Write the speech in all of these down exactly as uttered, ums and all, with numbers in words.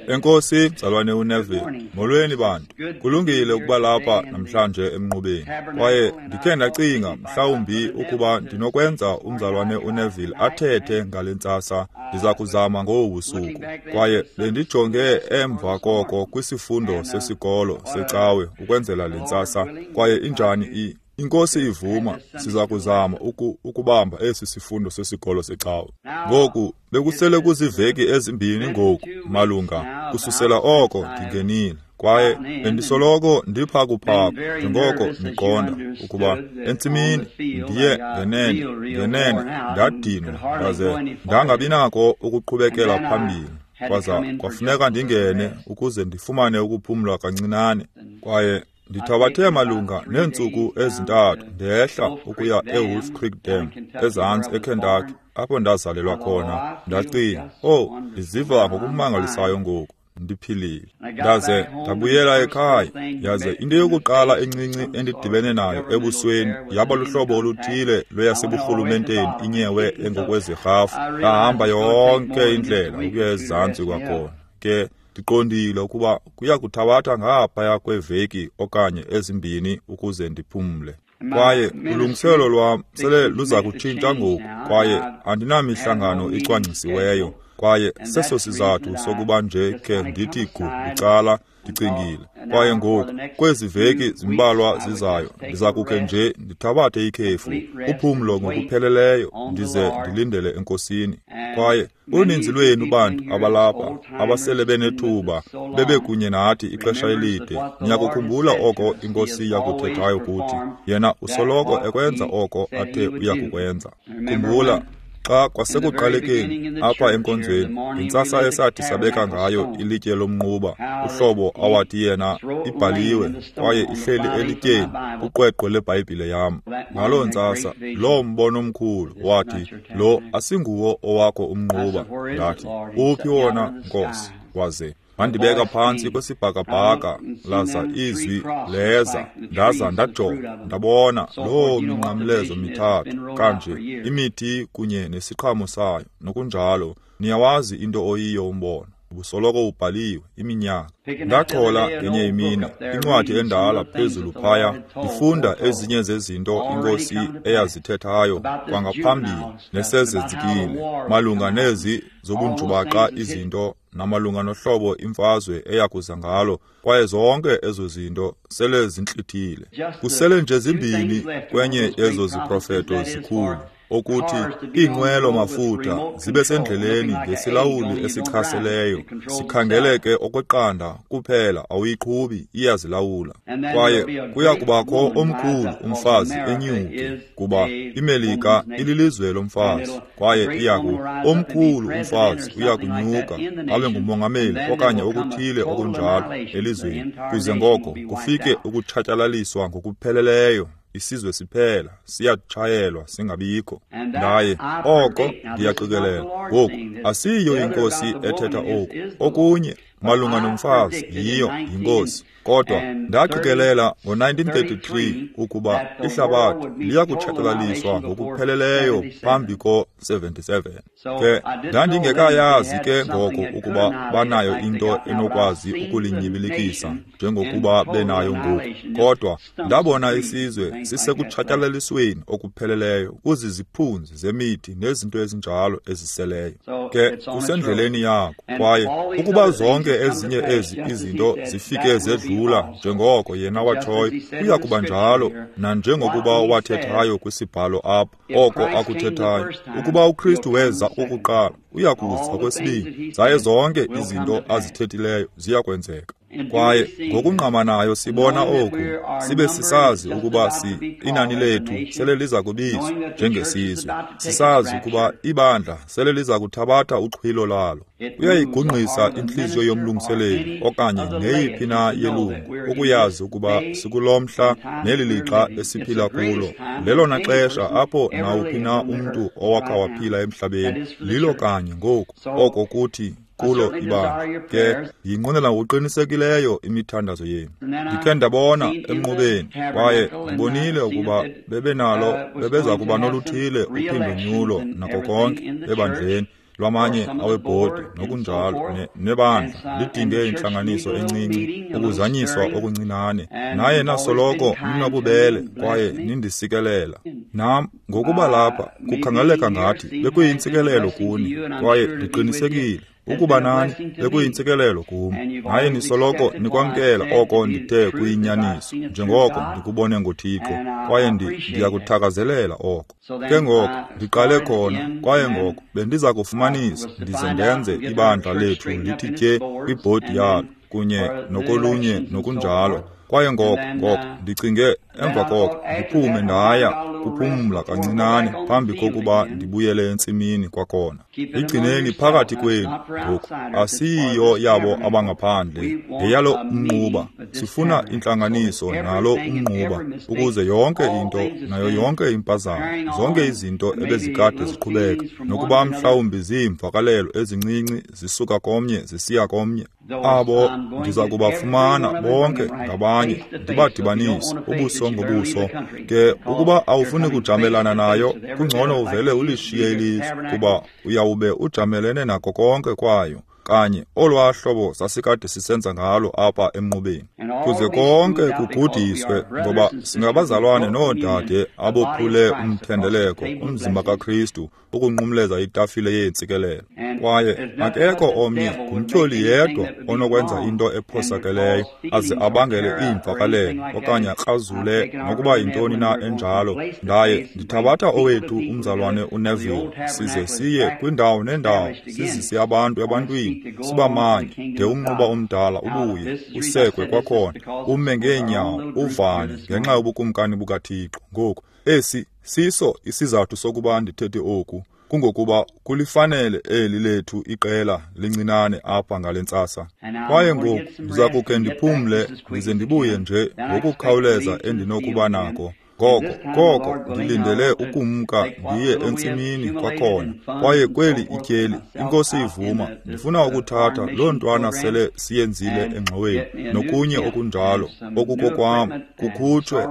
Enkosi mzalwane uNeville, molweni bantu. Kulungile ukuba lapha namhlanje emnqubeni. Kwaye ndikhe ndacinga mhlawumbi ukuba ndinokwenza umzalwane uNeville athethe ngale ntsasa, ndiza kuzama ngobu busuku. Kwaye bendijonge emva koko kwisifundo sesikolo secawe ukwenzela le ntsasa. Kwaye injani i Inkosi ivuma, siza kuzama uku, ukubamba esi sifundo sesikolo secawe. Ngoku bekusele kuziveki ezimbini ngoku malunga kususela oko ndingenile, kwaye bendisoloko ndiphakuphaku njengoko niqonda ukuba entsimini ndiye ngenene ngenene ndadinwa ndaze ndangabinako ukuqhubekela phambili. Kwaza kwafuneka ndingene ukuze ndifumane ukuphumla kancinane. Kwaye ndithabathe malunga neentsuku ezintathu ndehla ukuya eWolf Creek Dam ezantsi eKentucky, apho ndazalelwa khona. Ndacinga, oh, ndiziva ngokumangalisayo ngoku, ndiphilile. Ndaze ndabuyela ekhaya, yaze into yokuqala encinci endidibene nayo ebusweni yaba luhlobo oluthile lweyaseburhulumenteni inyewe engokwezirhafu. Ndahamba yonke indlela ukuya ezantsi kwakhona. Ke ndiqondile ukuba kuya kuthabatha ngaphaya kweveki okanye ezimbini ukuze ndiphumle. Kwaye ulungiselelo lwam sele luza kutshintsha ngoku, kwaye andinamihlangano icwangcisiweyo. Kwaye seso sizathu sokuba nje ke ndithi gu bucala ndicingile. Kwaye ngoku kwezi veki zimbalwa zizayo ndiza kukhe nje ndithabathe ikhefu, uphumlo ngokupheleleyo, ndize ndilindele eNkosini. Kwaye uninzi lwenu bantu abalapha abasele benethuba bebekunye nathi ixesha elide, niyakukhumbula oko iNkosi yakuthethayo kuthi. Yena usoloko ekwenza oko athe uyakukwenza. Khumbula xa kwasekuqalekeni apha enkonzweni ngentsasa esathi sabeka ngayo ilitye lomnquba, uhlobo awathi yena ibhaliwe kwaye ihleli elityeni kuqweqwe leBhayibhile yam. Ngaloo ntsasa loo mbono omkhulu wathi, lo asinguwo owakho umnquba. Ndathi, uphi wona, Nkosi? Waze wandibeka phantsi kwesibhakabhaka, laza izwi leza. Ndaza ndajonga, ndabona loo minqamlezo mithathu kanje, imithi kunye nesiqhamo sayo nokunjalo. Niyawazi into oyiyo umbono, ubusoloko ubhaliwe iminyaka. Ndachola ngenye imini incwadi endala phezulu phaya, ndifunda ezinye zezinto iNkosi eyazithethayo kwangaphambili nesezenzekile malunga nezi zobunjubaqa izinto namalunga nohlobo imfazwe eyakuza ngalo. Kwaye zonke ezo zinto sele zintlithile. Kusele nje zimbini kwenye ezo ziprofeto zikhulu, okuthi iinqwelo mafutha zibe sendleleni ngesilawuli esichaseleyo, sikhangeleke okweqanda kuphela, awuyiqhubi, iyazilawula. Kwaye kuya kubakho omkhulu umfazi enyuke, kuba iMelika ililizwe lomfazi, kwaye iyaku omkhulu umfazi uya kunyuka abe ngumongameli okanye okuthile okunjalo elizweni, kuze ngoko kufike ukutshatyalaliswa ngokupheleleyo. Isizwe siphela siyatshayelwa singabikho. Ndaye oko ndiyaqikelela ngoku asiyo iNkosi ethetha oku. Okunye malunga nomfazi yiyo yiNkosi. Kodwa ndaqikelela ngo-nineteen thirty-three ukuba ihlabathi liyakutshatyalaliswa ngokupheleleyo phambi ko-seventy-seven. Ke ndandingekayazi ke ngoko ukuba banayo into enokwazi ukulinyibilikisa njengokuba benayo ngoku. Kodwa ndabona isizwe sisekutshatyalalisweni okupheleleyo kuziziphunzi zemithi nezinto ezinjalo eziseleyo. Ke kusendleleni yako. Kwaye ukuba zonke ezinye ezi izinto zifike zedlula njengoko yena watshoyo, kuya kuba njalo nanjengokuba wathethayo kwisibhalo apha, oko akuthethayo. Ukuba uKristu weza okokuqala, uya kuza okwesibini, zaye zonke izinto azithethileyo ziya kwenzeka. Kwaye ngokungqamanayo sibona oku, sibe sisazi ukuba si inani lethu sele liza kubizwa njengesizwe, sisazi ukuba ibandla sele liza kuthabatha uxhwilo lalo. Kuyayigungqisa intliziyo yomlungiseleli okanye neyiphi na yelungu ukuyazi ukuba sikulo mhla neli lixa esiphila kulo. Lelona xesha apho nawuphi na umntu owakha waphila emhlabeni lilo kanye ngoku, oko kuthi kulo ibandla. Ke ndiyinqwenela ngokuqinisekileyo imithandazo yenu. Ndikhe ndabona emnqubeni, kwaye ndibonile ukuba bebenalo bebeza kuba noluthile uphindonyulo nako konke ebandleni. lwamanye awebhodi nokunjalo nebandla lidinge intlanganiso encinci, ukuzanyiswa okuncinane. Naye nasoloko ninobubele kwaye nindisikelela. Nam ngokuba lapha kukhangeleka ngathi bekuyintsikelelo kuni, kwaye ndiqinisekile ukuba nani bekuyintsikelelo kum. Naye nisoloko nikwamkela oko ndithe kuyinyaniso, njengoko ndikubone ngoThixo, kwaye ndiyakuthakazelela oko. Ke ngoko ndiqale khona, kwaye ngoko bendiza kufumanisa ndize ndenze ibandla lethu lithi tye kwibhodi yalo kunye nokolunye nokunjalo. Kwaye ngoko ngoko ndicinge emva koko ndiphume ndaya kuphumla kancinane phambi kokuba ndibuyele entsimini kwakhona. Igcineni phakathi kwenu ngoku, asiyiyo yabo abangaphandle, ngeyalo umnquba. Sifuna intlanganiso nalo umnquba ukuze yonke into nayo yonke impazamo, zonke izinto ebezikade ziqhubeka, nokuba mhlawumbi ziimvakalelo ezincinci zisuka komnye zisiya komnye, abo ndiza kubafumana bonke ngabanye ndibadibanise ubuso ngobuso. Ke ukuba awufuni kujamelana nayo, kungcono uvele ulishiye ilizwe, kuba uyawube ujamelene nako konke kwayo, kanye olwaa hlobo sasikade sisenza ngalo apha emnqubeni, kuze konke kugudiswe, ngoba singabazalwane noodade abophule umthendeleko, umzimba kaKristu, ukunqumleza itafile yeentsikelelo. Kwaye akekho omnye, ngumtyholi yedwa onokwenza into ephosakeleyo aze abangele iimvakalelo okanye akrazule nokuba yintoni na enjalo. Ndaye ndithabatha owethu umzalwane uNeville, size siye kwindawo nendawo, sizise abantu ebantwini, sibamanye de umnquba omdala ubuye usekwe kwakhona, ume ngeenyawo, uvane ngenxa yobukumkani bukaThixo. Ngoku esi siso isizathu sokuba ndithethe oku, kungokuba kulifanele eli lethu iqela lincinane apha ngale ntsasa. Kwaye ngoku ndiza kukhe ndiphumle ndize ndibuye nje ngokukhawuleza endinokuba nako. Ngoko koko ndilindele ukumka ndiye entsimini kwakhona. Kwaye kweli ityeli, iNkosi ivuma, ndifuna ukuthatha loo ntwana sele siyenzile engxoweni nokunye okunjalo okukokwam, kukhutshwe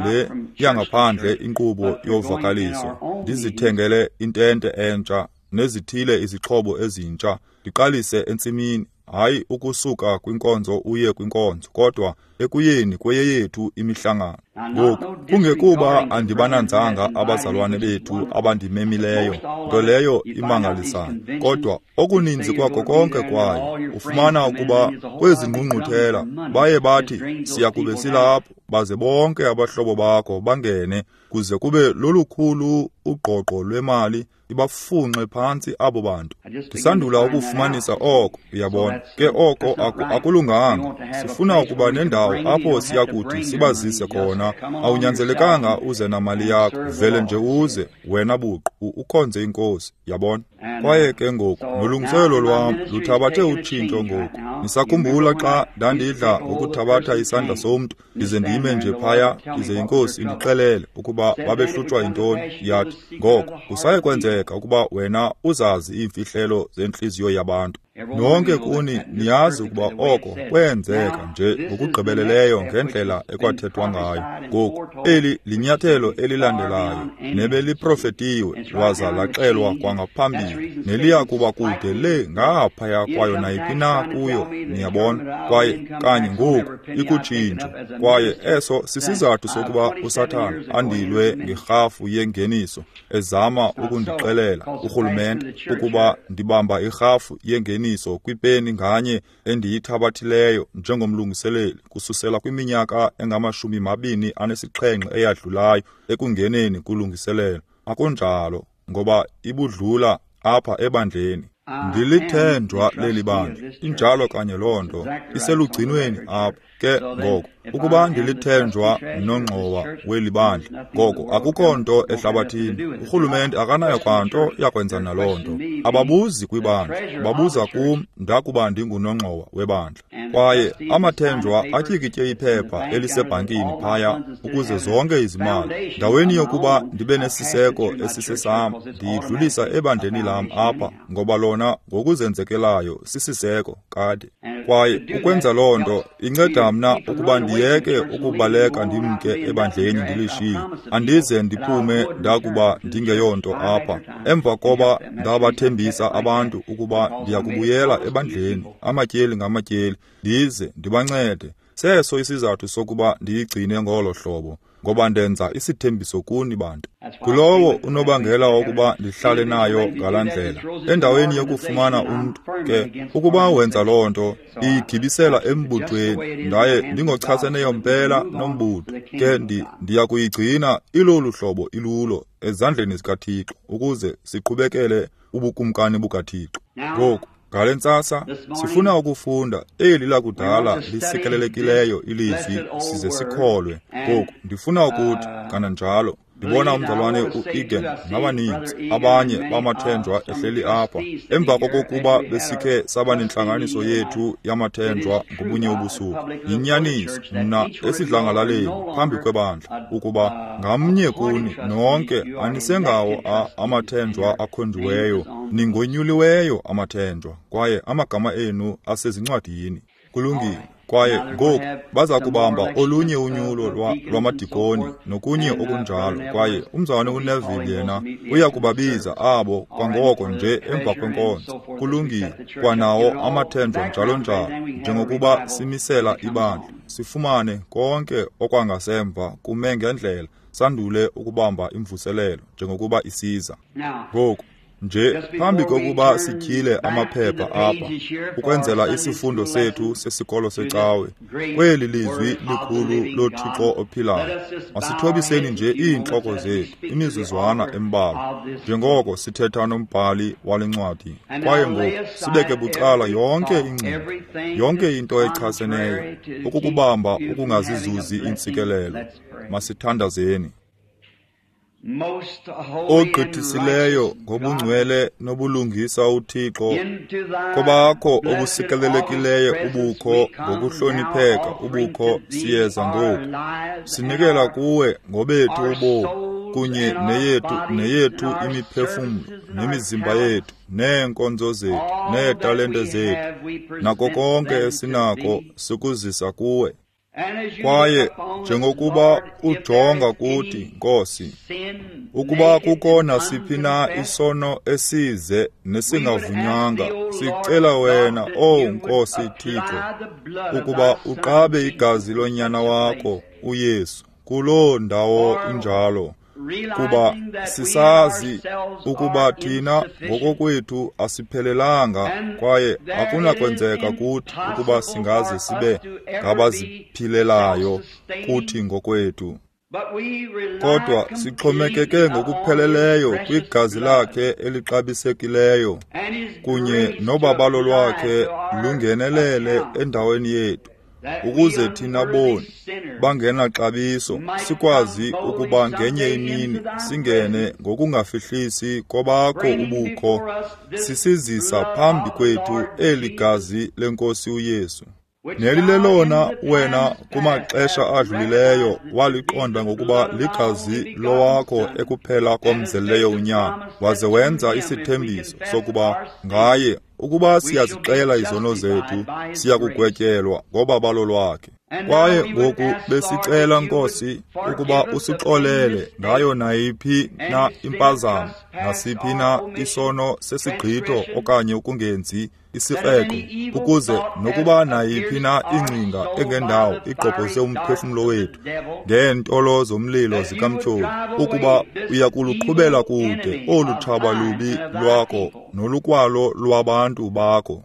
le yangaphandle inkqubo yovakaliso. Ndizithengele intente entsha nezithile izixhobo ezintsha, ndiqalise entsimini, hayi ukusuka kwinkonzo uye kwinkonzo, kodwa ekuyeni kweyeyethu imihlangano. Ngoku kungekuba andibananzanga abazalwane bethu abandimemileyo, nto leyo imangalisayo, kodwa okuninzi kwako konke kwayo ufumana ukuba kwezi ngqungquthela baye bathi siya kube silapho, baze bonke abahlobo bakho bangene, kuze kube lolukhulu ugqogqo lwemali ibafunxe phantsi abo bantu. Ndisandula ukufumanisa oko, uyabona. Ke oko akulunganga. Sifuna ukuba nendawo apho siya kuthi sibazise khona. Awunyanzelekanga uze namali yakho, vele nje uze wena buqu ukhonze iNkosi, yabona. Kwaye ke ngoku nolungiselelo lwam luthabathe utshintsho ngoku. Nisakhumbula xa ndandidla ngokuthabatha isandla somntu ndize ndime nje phaya, ize iNkosi indixelele ukuba babehlutshwa yintoni. Yathi, ngoko kusaye kwenzeka ukuba wena uzazi iimfihlelo zentliziyo yabantu. Nonke kuni niyazi ukuba oko kwenzeka nje ngokugqibeleleyo ngendlela ekwathethwa ngayo. Ngoku eli linyathelo elilandelayo nebeliprofetiwe lwaza laxelwa kwangaphambili, neliya kuba kude le ngaphaya kwayo nayiphi na kuyo, niyabona. Kwaye kanye ngoku ikutshintsho, kwaye eso sisizathu sokuba uSathana andilwe ngerhafu yengeniso, ezama ukundixelela urhulumente ukuba ndibamba irhafu yengeniso kwipeni nganye endiyithabathileyo njengomlungiseleli kususela kwiminyaka engamashumi mabini anesixhenxe eyadlulayo ekungeneni kulungiselelo. Akunjalo, ngoba ibudlula apha ebandleni. Ndilithenjwa leli bandla, injalo kanye loo nto, iselugcinweni apha. Ke ngoko ukuba ndilithenjwa nongxowa weli bandla, ngoko akukho nto ehlabathini, urhulumente akanayo kwanto yakwenza naloo nto. Ababuzi kwibandla, babuza kum ndakuba ndingunongxowa webandla. Kwaye amathenjwa atyikitye iphepha elisebhankini phaya ukuze zonke izimali, ndaweni yokuba ndibe nesiseko esisesam, ndiyidlulisa ebandleni lam apha, ngoba lona ngokuzenzekelayo sisiseko kade. Kwaye ukwenza loo nto inceda Indenza mna ukuba ndiyeke ukubaleka ndimke ebandleni ndilishiye. Andize ndiphume ndakuba ndingeyonto apha. Emva koba ndabathembisa abantu ukuba ndiyakubuyela ebandleni, amatyeli ngamatyeli, ndize ndibancede. Seso isizathu sokuba ndiyigcine ngolo hlobo, ngoba ndenza isithembiso kuni bantu. Kulowo unobangela wokuba ndihlale nayo ngalaa ndlela. Endaweni yokufumana umntu ke, ukuba wenza loo nto, iyigibisela embuthweni, ndaye ndingochaseneyo mpela nombutho. Ke ndiya kuyigcina ilolu hlobo ilulo ezandleni zikaThixo ukuze siqhubekele ubukumkani bukaThixo. Ngoku ngale ntsasa sifuna ukufunda eli lakudala lisikelelekileyo ilizwi size sikholwe. Ngoku ndifuna ukuthi kananjalo ndibona umzalwane u-Egan nabaninzi abanye bamathenjwa ehleli apha emva kokokuba besikhe saba nentlanganiso yethu yamathenjwa ngobunye ubusuku. Yinyaniso mna esidlangalaleni phambi kwebandla ukuba ngamnye kuni nonke anisengawo amathenjwa akhonjiweyo, ningonyuliweyo amathenjwa, kwaye amagama enu asezincwadini. Kulungile. Kwaye ngoku baza kubamba olunye unyulo lwamadikoni nokunye okunjalo, kwaye umzalwane uNeville yena uya kubabiza abo kwangoko nje emva kwenkonzo. Kulungile. Kwanawo amathenjwa njalo njalo, njengokuba simisela ibandla, sifumane konke okwangasemva kume ngendlela, sandule ukubamba imvuselelo njengokuba isiza. Ngoku nje phambi kokuba sityhile amaphepha apha ukwenzela isifundo sethu sesikolo secawe kweli lizwi likhulu loThixo ophilayo, masithobiseni nje iintloko zethu imizuzwana embalwa njengoko sithetha nombhali wale ncwadi. Kwaye ngoku sibeke bucala yonke ingcinga, yonke into echaseneyo ukukubamba ukungazizuzi iintsikelelo. Masithandazeni. Ogqithisileyo ngobungcwele nobulungisa uThixo, kobakho obusikelelekileyo ubukho ngokuhlonipheka ubukho siyeza ngoku. Sinikela kuwe ngobethu ubomi kunye neyethu neyethu imiphefumlo nemizimba yethu neenkonzo zethu neetalente zethu nako konke esinako sikuzisa kuwe. Kwaye njengokuba ujonga kuthi, Nkosi, ukuba kukho nasiphi na isono esize nesingavunywanga, sicela wena, O Nkosi Thixo, ukuba uqabe igazi lonyana wakho uYesu kuloo ndawo injalo, kuba sisazi ukuba thina ngokokwethu asiphelelanga kwaye akunakwenzeka kuthi ukuba singaze sibe ngabaziphilelayo kuthi ngokwethu. Kodwa sixhomekeke ngokupheleleyo kwigazi lakhe elixabisekileyo kunye nobabalo lwakhe lungenelele endaweni yethu, ukuze thina boni bangenaxabiso sikwazi ukuba ngenye imini singene ngokungafihlisi kobakho ubukho, sisizisa phambi kwethu eli gazi lenkosi uYesu. Nelilelona wena kumaxesha adlulileyo waliqonda ngokuba ligazi lowakho ekuphela komzeleyo unyana, waze wenza isithembiso sokuba ngaye ukuba siyazixela izono zethu siyakugwetyelwa ngobabalo lwakhe. Kwaye ngoku besicela, Nkosi, ukuba usixolele ngayo nayiphi na impazamo, nasiphi na isono sesigqitho okanye ukungenzi isikreqo, ukuze nokuba nayiphi na ingcinga engendawo igqobhoze umphefumlo wethu ngeentolo zomlilo zikamtyholi, ukuba uyakuluqhubela kude olu tshaba lubi lwakho nolukwalo lwabantu bakho.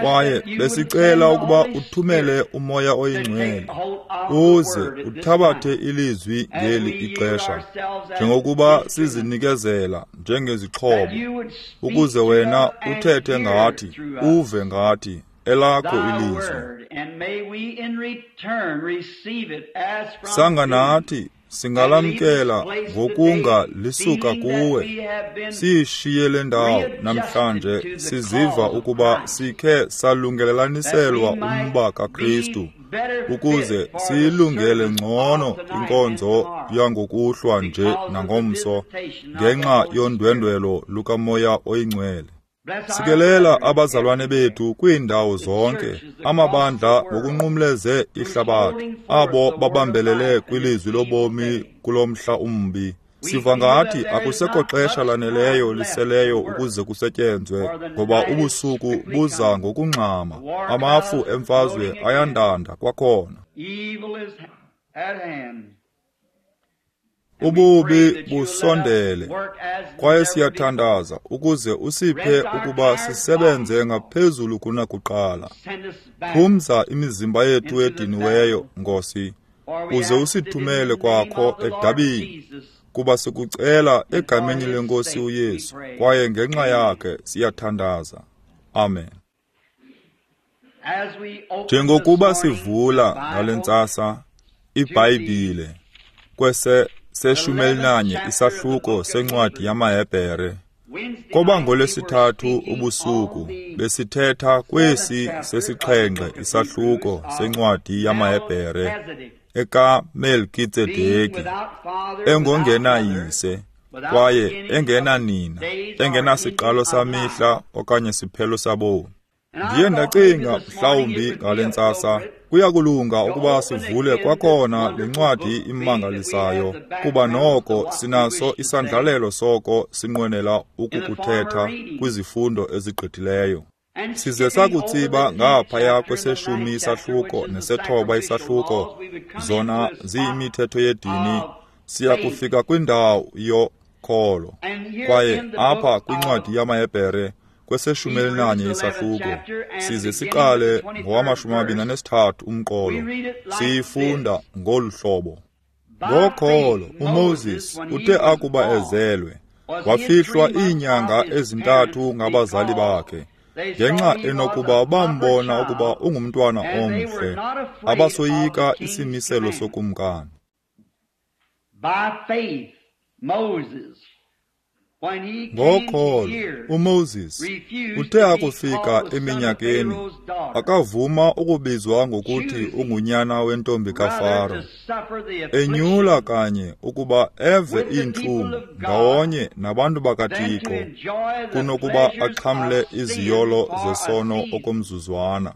Kwaye besicela ukuba uthumele uMoya oyiNgcwele uze uthabathe ilizwi ngeli ixesha, njengokuba sizinikezela njengezixhobo, ukuze wena uthethe ngathi, uve ngathi elakho ilizwi. Sanga nathi singalamkela ngokunga lisuka kuwe, siyishiye le ndawo namhlanje siziva ukuba sikhe salungelelaniselwa umba kaKristu, ukuze siyilungele ngcono inkonzo yangokuhlwa nje nangomso ngenxa yondwendwelo lukaMoya oyiNgcwele. Sikelela abazalwane bethu kwiindawo zonke, amabandla ngokunqumleze ihlabathi, abo babambelele kwilizwi lobomi kulo mhla umbi. Siva ngathi akusekho xesha laneleyo liseleyo ukuze kusetyenzwe, ngoba ubusuku buza ngokungxama, amafu emfazwe ayandanda kwakhona. Ububi busondele, kwaye siyathandaza ukuze usiphe ukuba sisebenze ngaphezulu kunakuqala. Phumza imizimba yethu ediniweyo, Nkosi, uze usithumele kwakho edabini, kuba sikucela egameni leNkosi uYesu, kwaye ngenxa yakhe siyathandaza. Amen. Njengokuba sivula ngale ntsasa iBhayibhile kwese seshumi elinanye isahluko sencwadi yamaHebhere, koba ngolwesithathu ubusuku besithetha kwesi sesixhenxe isahluko sencwadi yamaHebhere ekaMelkitsedeki, engongenayise kwaye engenanina, engenasiqalo samihla okanye siphelo sabomi. Ndiye ndacinga mhlawumbi ngale ntsasa kuyakulunga ukuba sivule kwakhona le ncwadi imangalisayo, kuba noko sinaso isandlalelo soko sinqwenela ukukuthetha kwizifundo ezigqithileyo. Size sakutsiba ngaphaya kweseshumi isahluko nesethoba isahluko, zona ziyimithetho yedini, siya kufika kwindawo yokholo. Kwaye apha kwincwadi yamaHebhere kweseshumi elinanye isahluko, size siqale ngowamashumi amabini anesithathu umqolo, siyifunda ngolu hlobo. Ngokholo uMoses uthe akuba ezelwe, wafihlwa iinyanga ezintathu ngabazali bakhe, ngenxa enokuba bambona ukuba ungumntwana omhle, abasoyika isimiselo sokumkani. Ngokholo uMoses uthe akufika eminyakeni, akavuma ukubizwa ngokuthi ungunyana wentombi kaFaro, enyula kanye ukuba eve iintlungu ndawonye nabantu bakaThixo, kunokuba axhamle iziyolo zesono okomzuzwana.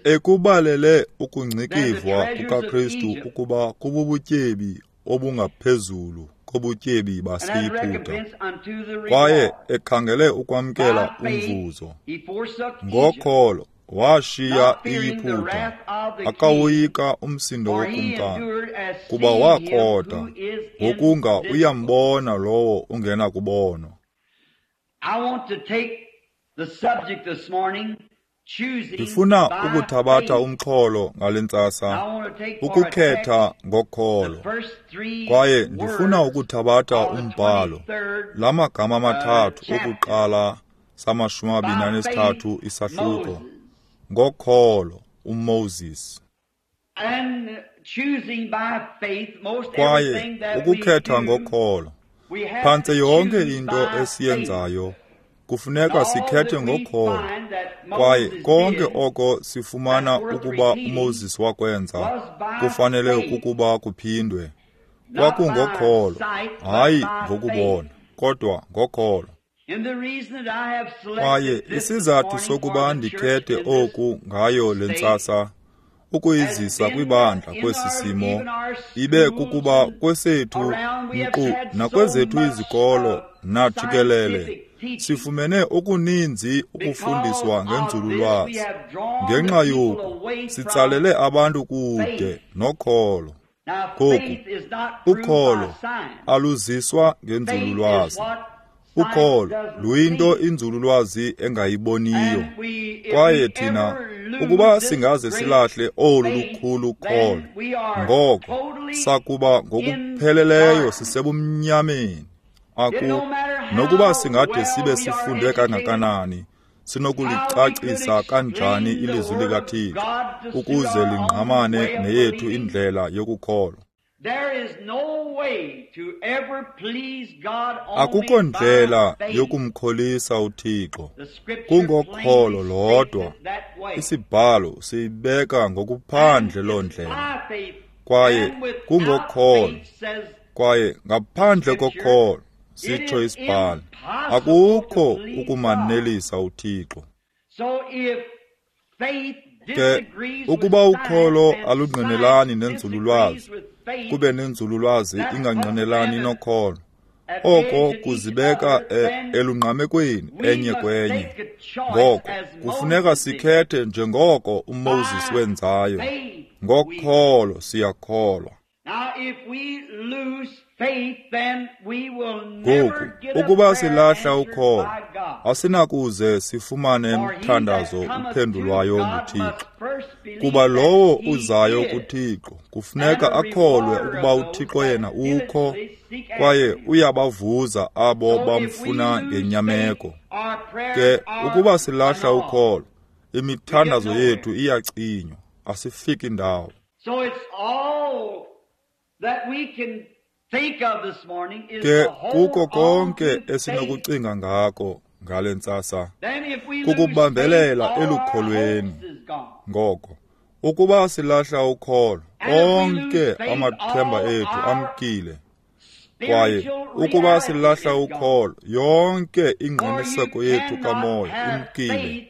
Ekubalele ukungcikivwa kukaKristu ukuba kububutyebi obungaphezulu kobutyebi baseYiputa, kwaye ekhangele ukwamkela umvuzo. Ngokholo washiya iYiputa, akawoyika umsindo wokumkani, kuba wakrota ngokunga uyambona lowo ungenakubonwa. Ndifuna ukuthabatha umxholo ngale ntsasa, ukukhetha ngokholo, kwaye ndifuna ukuthabatha umbhalo la magama amathathu okuqala samashumi amabini anesithathu isahluko, ngokholo uMoses. Kwaye ukukhetha ngokholo, phantse yonke into esiyenzayo kufuneka sikhethe ngokholo, kwaye konke oko sifumana ukuba uMoses wakwenza kufanele ukuba kuphindwe. Kwakungokholo, hayi ngokubona, kodwa ngokholo. Kwaye isizathu sokuba ndikhethe oku ngayo le ntsasa, ukuyizisa kwibandla kwesi simo, ibe kukuba kwesethu nkqu nakwezethu izikolo najikelele sifumene okuninzi ukufundiswa ngenzululwazi. Ngenxa yoku sitsalele abantu kude nokholo. Ngoku ukholo aluziswa ngenzululwazi. Ukholo luyinto inzululwazi engayiboniyo. Kwaye thina ukuba singaze silahle olu lukhulu kholo, ngoko sakuba ngokupheleleyo sisebumnyameni. Aku nokuba singade sibe sifunde kangakanani, sinokulicacisa kanjani ilizwi likaThixo ukuze lingqamane neyethu indlela yokukholwa. Akukho ndlela yokumkholisa uThixo, kungokholo lodwa. Isibhalo siyibeka ngokuphandle loo ndlela, kwaye kungokholo, Kwaye ngaphandle kokholo, sitsho isibhalo, akukho ukumanelisa uThixo. Ke ukuba ukholo alungqinelani nenzululwazi, kube nenzululwazi ingangqinelani nokholo, oko kuzibeka elungqamekweni enye kwenye. Ngoko kufuneka sikhethe njengoko uMoses wenzayo. Ngokholo siyakholwa. Ngoku ukuba silahla ukholo, asinakuze sifumane mthandazo uphendulwayo nguThixo. Kuba lowo uzayo kuThixo kufuneka akholwe ukuba uThixo yena ukho, kwaye uyabavuza abo bamfuna ngenyameko. Ke ukuba silahla ukholo, imithandazo yethu iyacinywa, asifiki ndawo. Ke kuko konke esinokucinga ngako ngale ntsasa kukubambelela elukholweni. Ngoko ukuba silahla ukholo, onke amathemba ethu amkile. Kwaye ukuba silahla ukholo, yonke ingqiniseko yethu kamoya imkile,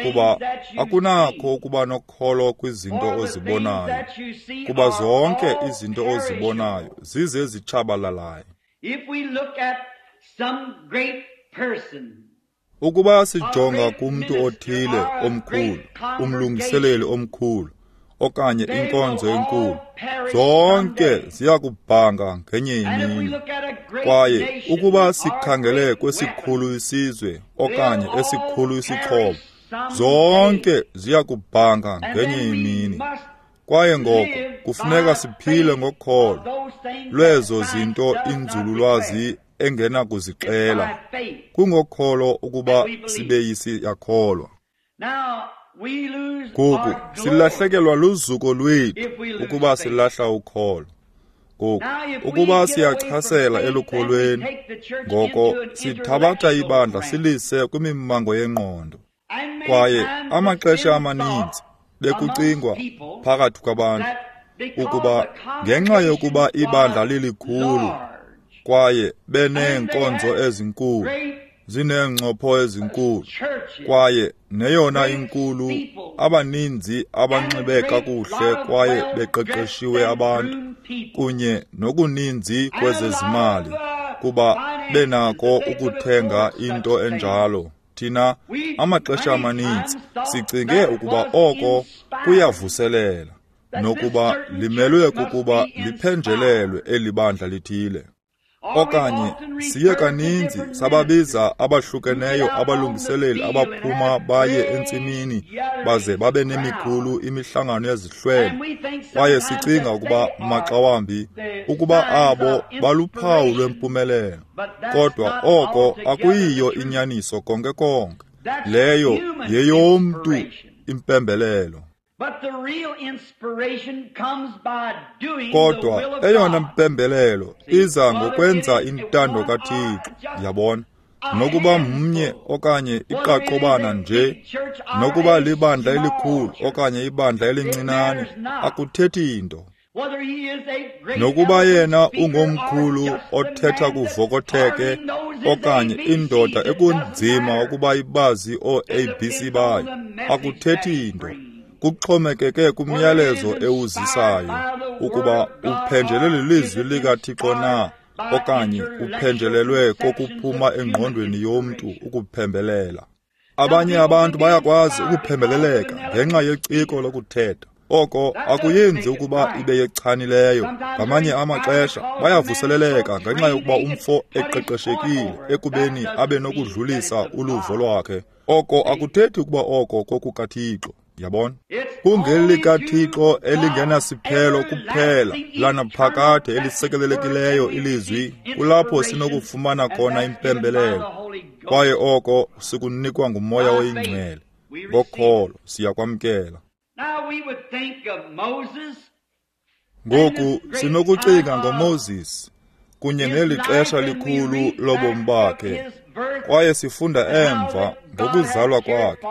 kuba akunakho ukuba nokholo kwizinto ozibonayo, kuba zonke izinto ozibonayo zizezitshabalalayo. Ukuba sijonga kumntu othile omkhulu, umlungiseleli omkhulu, okanye inkonzo enkulu, zonke ziyakubhanga ngenye imini. Kwaye ukuba sikhangele kwesikhulu isizwe okanye esikhulu isixhobo, zonke ziyakubhanga ngenye imini. Kwaye ngoko kufuneka siphile ngokholo lwezo zinto inzululwazi engenakuzixela. Kungokholo ukuba sibe siyakholwa. Ngoku silahlekelwa luzuko lwethu ukuba silahla ukholo. Ngoku ukuba siyachasela elukholweni, ngoko sithabatha ibandla silise kwimimango yengqondo. Kwaye amaxesha amaninzi bekucingwa phakathi kwabantu ukuba ngenxa yokuba ibandla lilikhulu kwaye beneenkonzo ezinkulu, zineencopho ezinkulu, kwaye neyona inkulu, abaninzi abanxibe kakuhle kwaye beqeqeshiwe abantu, kunye nokuninzi kwezezimali, kuba benako ukuthenga into enjalo. Thina amaxesha amaninzi sicinge ukuba oko kuyavuselela, nokuba limelwe kukuba liphenjelelwe eli bandla lithile. Okanye siye kaninzi sababiza abahlukeneyo abalungiseleli abaphuma baye entsimini baze babe nemikhulu imihlangano yezihlwele, kwaye sicinga ukuba maxa wambi ukuba abo baluphawu lwempumelelo. Kodwa oko akuyiyo inyaniso konke konke. Leyo yeyomntu impembelelo. Kodwa eyona mpembelelo iza ngokwenza intando kaThixo, yabona, nokuba mnye okanye iqaqobana nje, nokuba libandla elikhulu okanye ibandla elincinane, akuthethi nto. Nokuba yena ungomkhulu othetha kuvokotheke okanye indoda ekunzima ukuba ibazi oo-A B C bayo, akuthethi nto. Kuxhomekeke kumyalezo ewuzisayo ukuba uphenjelelwe lilizwi likaThixo na okanye uphenjelelwe kokuphuma engqondweni yomntu ukuphembelela. Abanye abantu bayakwazi ukuphembeleleka ngenxa yeciko lokuthetha. Oko akuyenzi ukuba ibe yechanileyo. Ngamanye amaxesha bayavuseleleka ngenxa yokuba umfo eqeqeshekile ekubeni abe nokudlulisa uluvo lwakhe. Oko akuthethi ukuba oko kokukaThixo. Yabona, kungelikaThixo elingenasiphelo kuphela lanaphakade elisekelelekileyo ilizwi, kulapho sinokufumana khona impembelelo, kwaye oko sikunikwa nguMoya oyiNgcwele. Ngokholo siyakwamkela. Ngoku sinokucinga ngoMoses kunye neli xesha likhulu lobomi bakhe, kwaye sifunda emva ngokuzalwa kwakhe,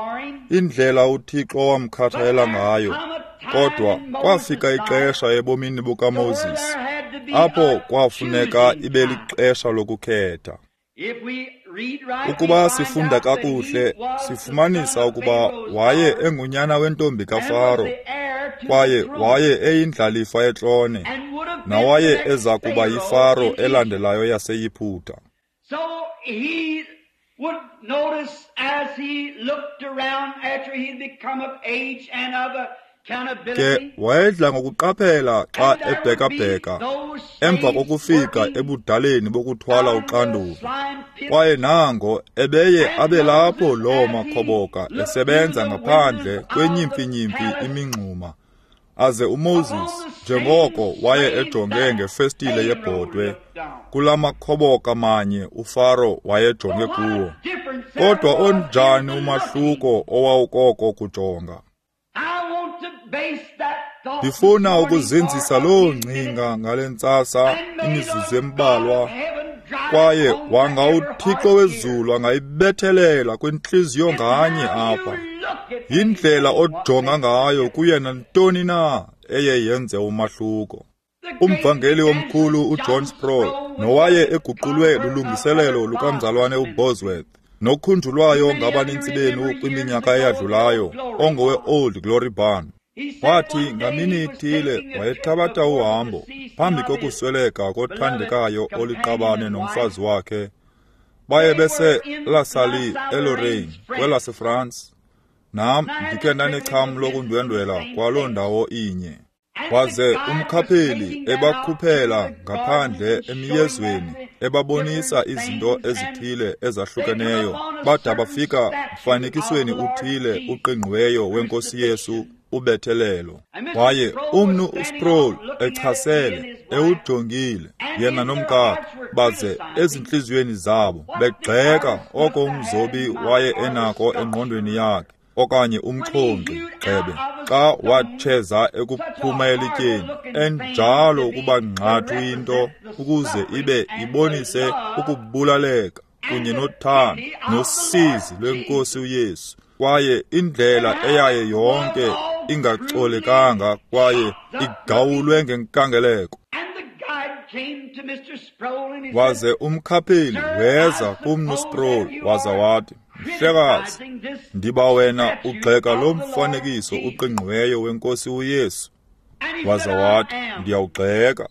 indlela uThixo wamkhathalela ngayo. Kodwa kwafika ixesha ebomini bukaMoses apho kwafuneka ibe lixesha lokukhetha. Ukuba sifunda kakuhle, sifumanisa ukuba waye engunyana wentombi kaFaro, kwaye waye eyindlalifa yetrone, nawaye eza kuba yiFaro elandelayo yaseYiphutha. Would notice as he looked around after he'd become of age and of accountability. Ke wayedla ngokuqaphela xa ebhekabheka emva kokufika ebudaleni bokuthwala uxanduva, kwaye nango ebeye abe lapho loo makhoboka esebenza ngaphandle kwenyimfinyimfi imingxuma, aze uMoses njengoko waye ejonge ngefestile yebhodwe kula makhoboka manye uFaro wayejonge kuwo. Kodwa onjani umahluko owawukoko kujonga! Ndifuna ukuzinzisa loo ngcinga ngale ntsasa imizuzu embalwa, kwaye wanga uThixo wezulu angayibethelela kwintliziyo nganye apha. Yindlela ojonga ngayo kuye nantoni na eye yenze umahluko. Umvangeli omkhulu uJohn Sproul, nowaye eguqulwe lulungiselelo lukamzalwane uBosworth, nokhunjulwayo ngabanintsi benu kwiminyaka eyadlulayo, ongowe-Old Glory Barn, wathi ngamini ithile wayethabatha uhambo phambi kokusweleka kothandekayo oliqabane nomfazi wakhe. Baye bese La Salle eLorraine kwelaseFrance. Nam ndikhe ndanecham lokundwendwela kwaloo ndawo inye. Waze umkhapheli ebakhuphela ngaphandle emiyezweni, ebabonisa izinto ezithile ezahlukeneyo, bada bafika mfanekisweni uthile uqingqiweyo wenkosi Yesu ubethelelo. Waye umnu uSproul echasele, ewujongile yena nomkakhe, baze ezintliziyweni zabo begxeka oko umzobi waye enako engqondweni yakhe, okanye umxhonxi gxebe, xa watsheza ekuphuma elityeni, enjalo ukuba ngqathu into ukuze ibe ibonise ukubulaleka kunye nothando nosizi lwenkosi uYesu, kwaye indlela eyaye yonke ingacolekanga kwaye igawulwe ngenkangeleko. Waze umkhapheli weza kumnu Sproul waza wathi, "Mhlekazi, ndiba wena ugxeka lo mfanekiso uqingqiweyo wenkosi uYesu." Waza wathi, "Ndiyawugxeka."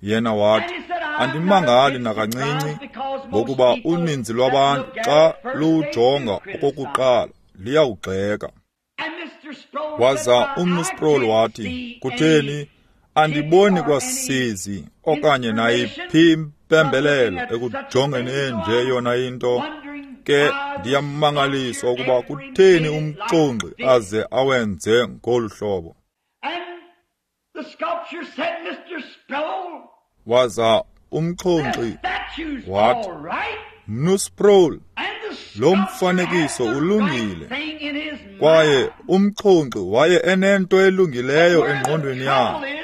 Yena wathi, "Andimangali nakancinci, ngokuba uninzi lwabantu xa luwujonga okokuqala liyawugxeka." Waza umnu Sproul wathi, "Kutheni, andiboni kwasizi okanye nayiphi impembelelo ekujongeni enje yona into. Ke ndiyamangaliswa ukuba kutheni umxonxi aze awenze ngolu hlobo." Waza umxonxi wathi, "Mnu Sproul, lo mfanekiso ulungile." Kwaye umxonxi waye enento elungileyo engqondweni yakhe.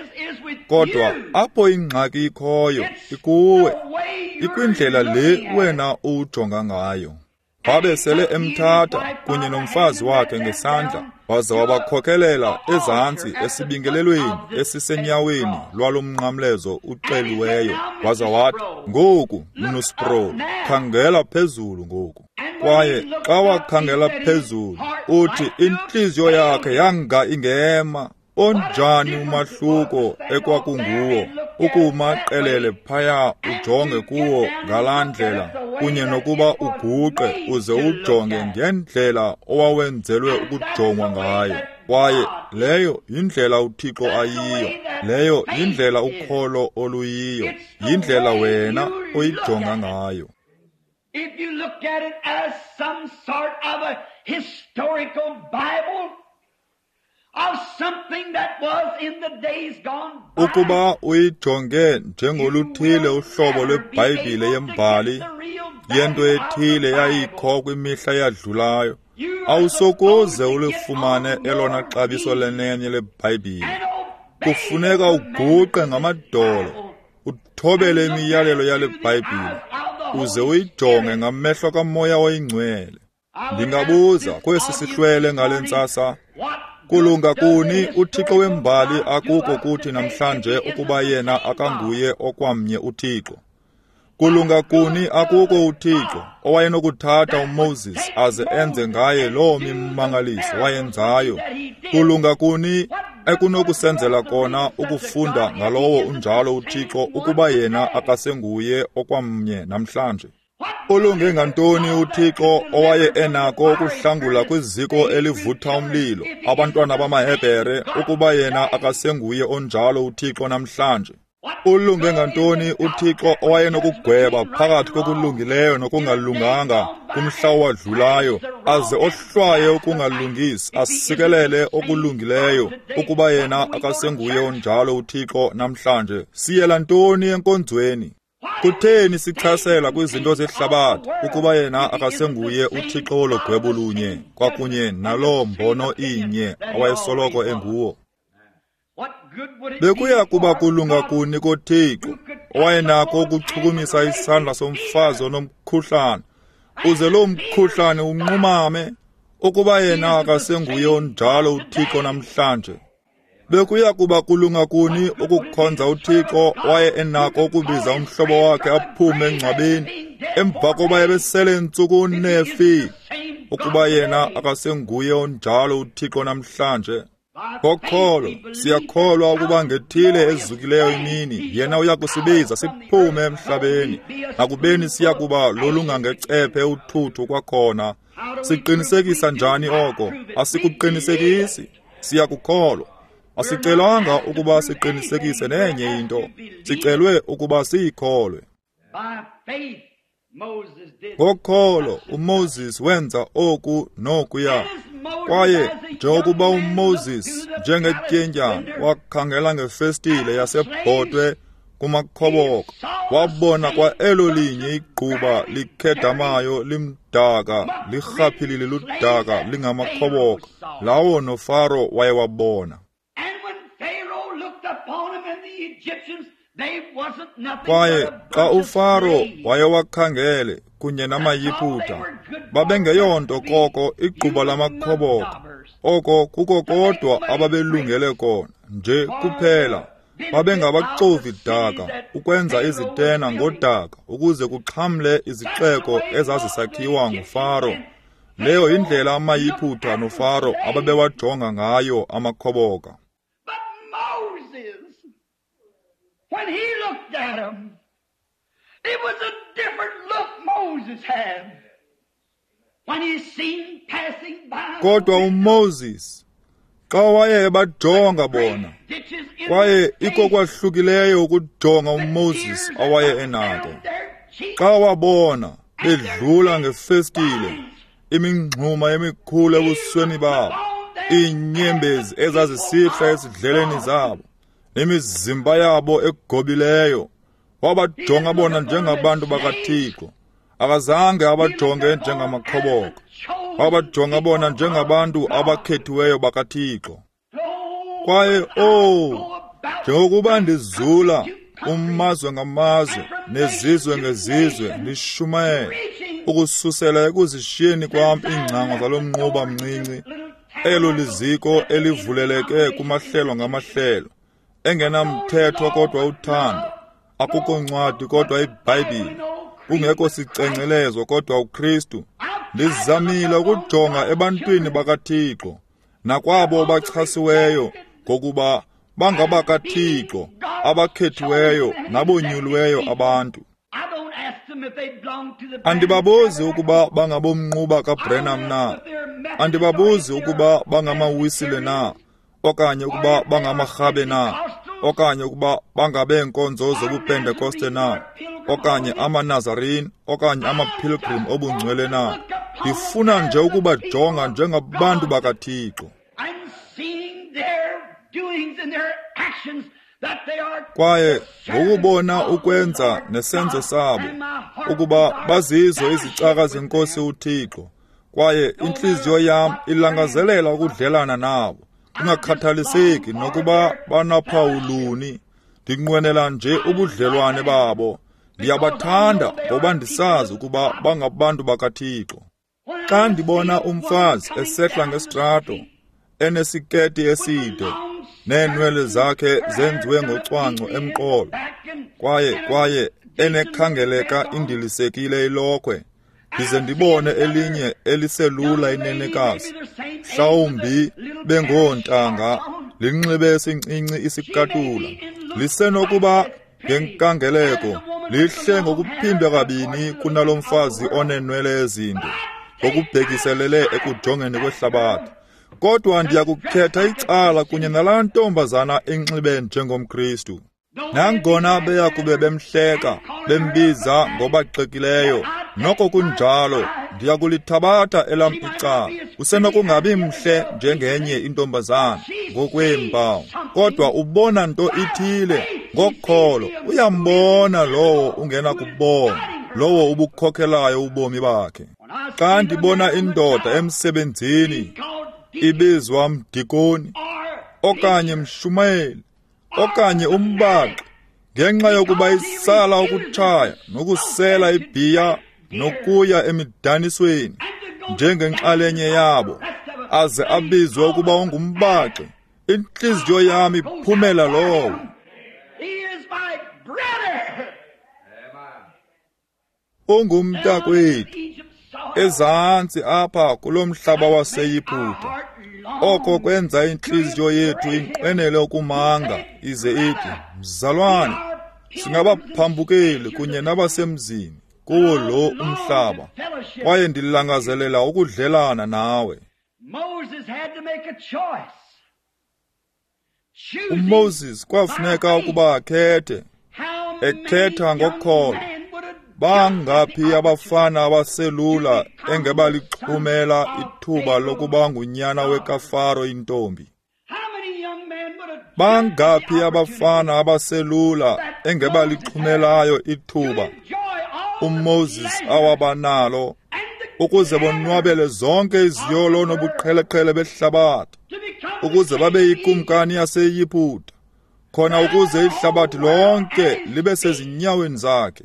Kodwa apho ingxaki ikhoyo ikuwe, ikwindlela le wena uwujonga ngayo. Wabe sele emthatha kunye nomfazi wakhe ngesandla, waza wabakhokelela ezantsi esibingelelweni esisenyaweni lwalo mnqamlezo uxeliweyo. Waza wathi, "Ngoku, mnu Sproul, khangela phezulu ngoku." Kwaye xa wakhangela phezulu, uthi intliziyo yakhe yanga ingema. Onjani umahluko ekwakunguwo ukuma qelele phaya ujonge kuwo ngalaa ndlela, kunye nokuba uguqe uze ujonge ngendlela owawenzelwe ukujongwa ngayo. Kwaye leyo yindlela uThixo ayiyo, leyo yindlela ukholo oluyiyo, yindlela wena oyijonga ngayo. If you look at it as some sort of a historical Bible, of something that was in the days gone by, Ukuba uyijonge njengoluthile uhlobo lweBhayibhile yembali, yento ethile yayikho kwimihla eyadlulayo, awusokuze ulifumane elona xabiso lenene leBhayibhile. Kufuneka uguqe ngamadolo, uthobele imiyalelo yale Bhayibhile, uze uyijonge ngamehlo kaMoya oyiNgcwele. Ndingabuza kwesi sihlwele ngale ntsasa, Kulunga kuni uThixo wembali akuko kuthi namhlanje ukuba yena akanguye okwamnye uThixo? Kulunga kuni akuko uThixo owayenokuthatha uMoses aze enze ngaye loo mimangaliso wayenzayo? Kulunga kuni ekunokusenzela kona ukufunda ngalowo unjalo uThixo ukuba yena akasenguye okwamnye namhlanje? Ulunge ngantoni uThixo owaye enako ukuhlangula kwiziko elivutha umlilo abantwana bamaHebhere ukuba yena akasenguye onjalo uThixo namhlanje? Ulunge ngantoni uThixo owayenokugweba phakathi kokulungileyo nokungalunganga kumhla owadlulayo, aze ohlwaye ukungalungisi asikelele okulungileyo ukuba yena akasenguye onjalo uThixo namhlanje? Siyela ntoni enkonzweni? Kutheni sichasela kwizinto zehlabathi ukuba yena akasenguye uThixo wologwebo lunye kwakunye naloo mbono inye awayesoloko enguwo? Bekuya kuba kulunga kuni koThixo owayenako ukuchukumisa isandla somfazi onomkhuhlane, uze loo mkhuhlane unqumame, ukuba yena akasenguye onjalo uThixo namhlanje? Bekuya kuba kulunga kuni ukukhonza uThixo waye enako ukubiza umhlobo wakhe aphume engcwabeni emva koba ebesele ntsuku nefi, ukuba yena akasenguye onjalo uThixo namhlanje? Ngokholo siyakholwa ukuba ngethile ezukileyo imini yena uya kusibiza siphume emhlabeni, nakubeni siya kuba lolungangecephe uthuthu kwakhona. Siqinisekisa njani oko? Asikuqinisekisi, siyakukholwa. Asicelwanga ukuba siqinisekise nenye into, sicelwe ukuba siyikholwe. Ngokholo uMoses wenza oku nokuya. Kwaye njengokuba uMoses njengetyendyana wakhangela ngefestile yasebhotwe kumakhoboka, wabona kwa elo linye igquba likhedamayo limdaka lirhaphilile ludaka lingamakhoboka lawo noFaro wayewabona. Kwaye xa uFaro wayewakhangele kunye namaYiputa, babengeyonto koko igquba lamakhoboka. Oko kuko kodwa ababelungele kona nje kuphela. Babengabaxovi daka ukwenza izitena ngodaka ukuze kuxhamle izixeko ezazisakhiwa nguFaro. Leyo yindlela amaYiputa noFaro ababewajonga ngayo amakhoboka. When he looked at him, it was a different look Moses had. When he seen passing by. Kodwa uMoses xa waye ebajonga bona, kwaye ikokwahlukileyo ukujonga uMoses awaye enako. Xa wabona bedlula ngefestile, imingxuma emikhulu ebusweni babo, iinyembezi ezazisihla ezidleleni zabo, nemizimba yabo egobileyo, wabajonga bona njengabantu bakaThixo. Akazange abajonge njengamakhoboka, wabajonga bona njengabantu abakhethiweyo bakaThixo. Kwaye oh, njengokuba ndizula umazwe ngamazwe nezizwe ngezizwe ndishumayela ukususela ekuzishiyeni kwam iingcango zalo mnquba mncinci, elo liziko elivuleleke kumahlelo ngamahlelo, engenamthetho kodwa uthando, akukho ncwadi kodwa iBhayibhile, kungekho sicengcelezo kodwa uKristu. Ndizamile ukujonga ebantwini bakaThixo nakwabo bachasiweyo ngokuba bangabakaThixo abakhethiweyo nabonyuliweyo abantu. Andibabuzi ukuba bangabomnquba kaBrenham na, andibabuzi ukuba bangamawisile na, okanye ukuba bangamarhabe na, okanye ukuba bangabeenkonzo zobupentekoste na, okanye amaNazarene, okanye amapilgrim obungcwele na. Ndifuna nje ukubajonga njengabantu bakaThixo. Kwaye ngokubona ukwenza nesenzo sabo, ukuba bazizo izicaka zenkosi uThixo, kwaye intliziyo yam ilangazelela ukudlelana nabo, kungakhathaliseki nokuba banaphawu luni. Ndinqwenela nje ubudlelwane babo. Ndiyabathanda ngoba ndisazi ukuba bangabantu bakaThixo. Xa ndibona umfazi esehla ngesitrato, enesiketi eside, neenwele zakhe zenziwe ngocwangco emqolo, kwaye kwaye enekhangeleka indilisekile ilokhwe, ndize ndibone elinye eliselula inenekazi, mhlawumbi bengoontanga, linxibe esincinci isikatula, lisenokuba ngenkangeleko lihle ngokuphindwa kabini kunalo mfazi oneenwele ezinde, ngokubhekiselele ekujongeni kwehlabathi. Kodwa ndiyakukhetha icala kunye nalaa ntombazana enxibe njengomKristu. Nangona beya kube bemhleka, bembiza ngobaxekileyo, noko kunjalo ndiyakulithabatha elam icala. Usenokungabi mhle njengenye intombazana ngokweempawu, kodwa ubona nto ithile ngokholo. Uyambona lowo ungenakubona, lowo ubukhokhelayo ubomi bakhe. Xa ndibona indoda emsebenzini ibizwa mdikoni okanye mshumayeli okanye umbaxi, ngenxa yokuba isala ukutshaya nokusela ibhiya nokuya emidanisweni njengenxalenye yabo, aze abizwe ukuba ungumbaxi, intliziyo yam iphumela lowo. Ungumntakwethu ezantsi apha kulo mhlaba waseYiputa. Oko kwenza intliziyo yethu inqwenele ukumanga ize ithi, mzalwane, singabaphambukeli kunye nabasemzini kuwo lo umhlaba, kwaye ndilangazelela ukudlelana nawe. UMoses kwafuneka ukuba akhethe, ekhetha ngokholo. Bangaphi abafana abaselula engebalixhumela ithuba lokuba ngunyana wekaFaro intombi? Bangaphi abafana abaselula engebalixhumelayo ithuba uMoses awabanalo ukuze bonwabele zonke iziyolo nobuqheleqhele behlabathi, ukuze babe yikumkani yaseYiputa, khona ukuze ihlabathi lonke libe sezinyaweni zakhe?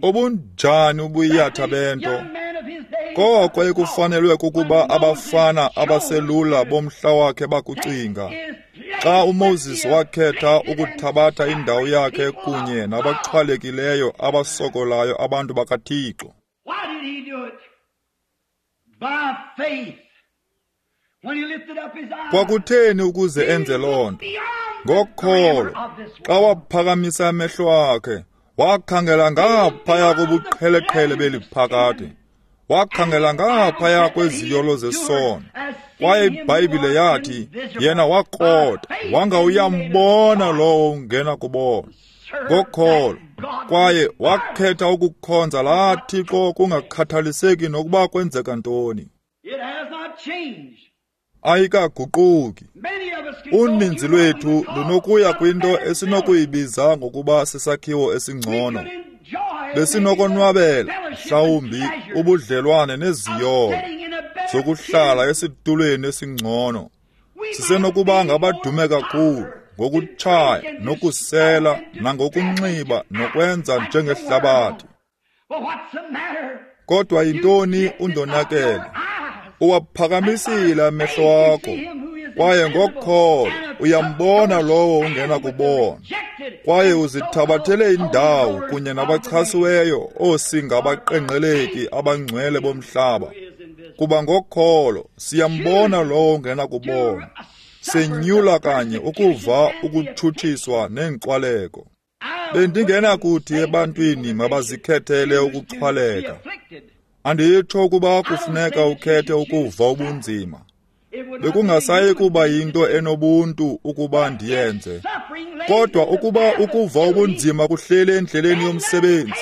Obunjani ubuyatha bento! Koko ekufanelwe kukuba abafana abaselula bomhla wakhe bakucinga xa uMoses wakhetha ukuthabatha indawo yakhe kunye nabaxhwalekileyo abasokolayo abantu bakaThixo. Kwakutheni ukuze enze loo nto? Ngokholo. Xa waphakamisa amehlo akhe, wakhangela ngaphaya kobuqheleqhele beliphakade, wakhangela ngaphaya kweziyolo zesono, kwaye iBhayibhile yathi yena wakrota, wanga uyambona lowo ungena kubona. Ngokholo, kwaye wakhetha ukukhonza laa Thixo kungakhathaliseki nokuba kwenzeka ntoni. Ayikaguquki. Uninzi lwethu lunokuya kwinto esinokuyibiza ngokuba sisakhiwo esingcono. Besinokonwabela mhlawumbi ubudlelwane neziyolo zokuhlala esitulweni esingcono. Sisenokuba ngabadume kakhulu ngokutshaya nokusela nangokunxiba nokwenza njengehlabathi. Kodwa yintoni undonakele? Uwaphakamisile amehlo akho, kwaye ngokholo uyambona lowo ungenakubona, kwaye uzithabathele indawo kunye nabachasiweyo oosingabaqenqeleki abangcwele bomhlaba. Kuba ngokholo siyambona lowo ungenakubona, senyula kanye ukuva ukutshutshiswa neenkxwaleko. Bendingenakuthi ebantwini mabazikhethele ukuxhwaleka. Anditsho ukuba kufuneka ukhethe ukuva ubunzima. Bekungasayi kuba yinto enobuntu ukuba ndiyenze. Kodwa ukuba ukuva ubunzima kuhleli endleleni yomsebenzi,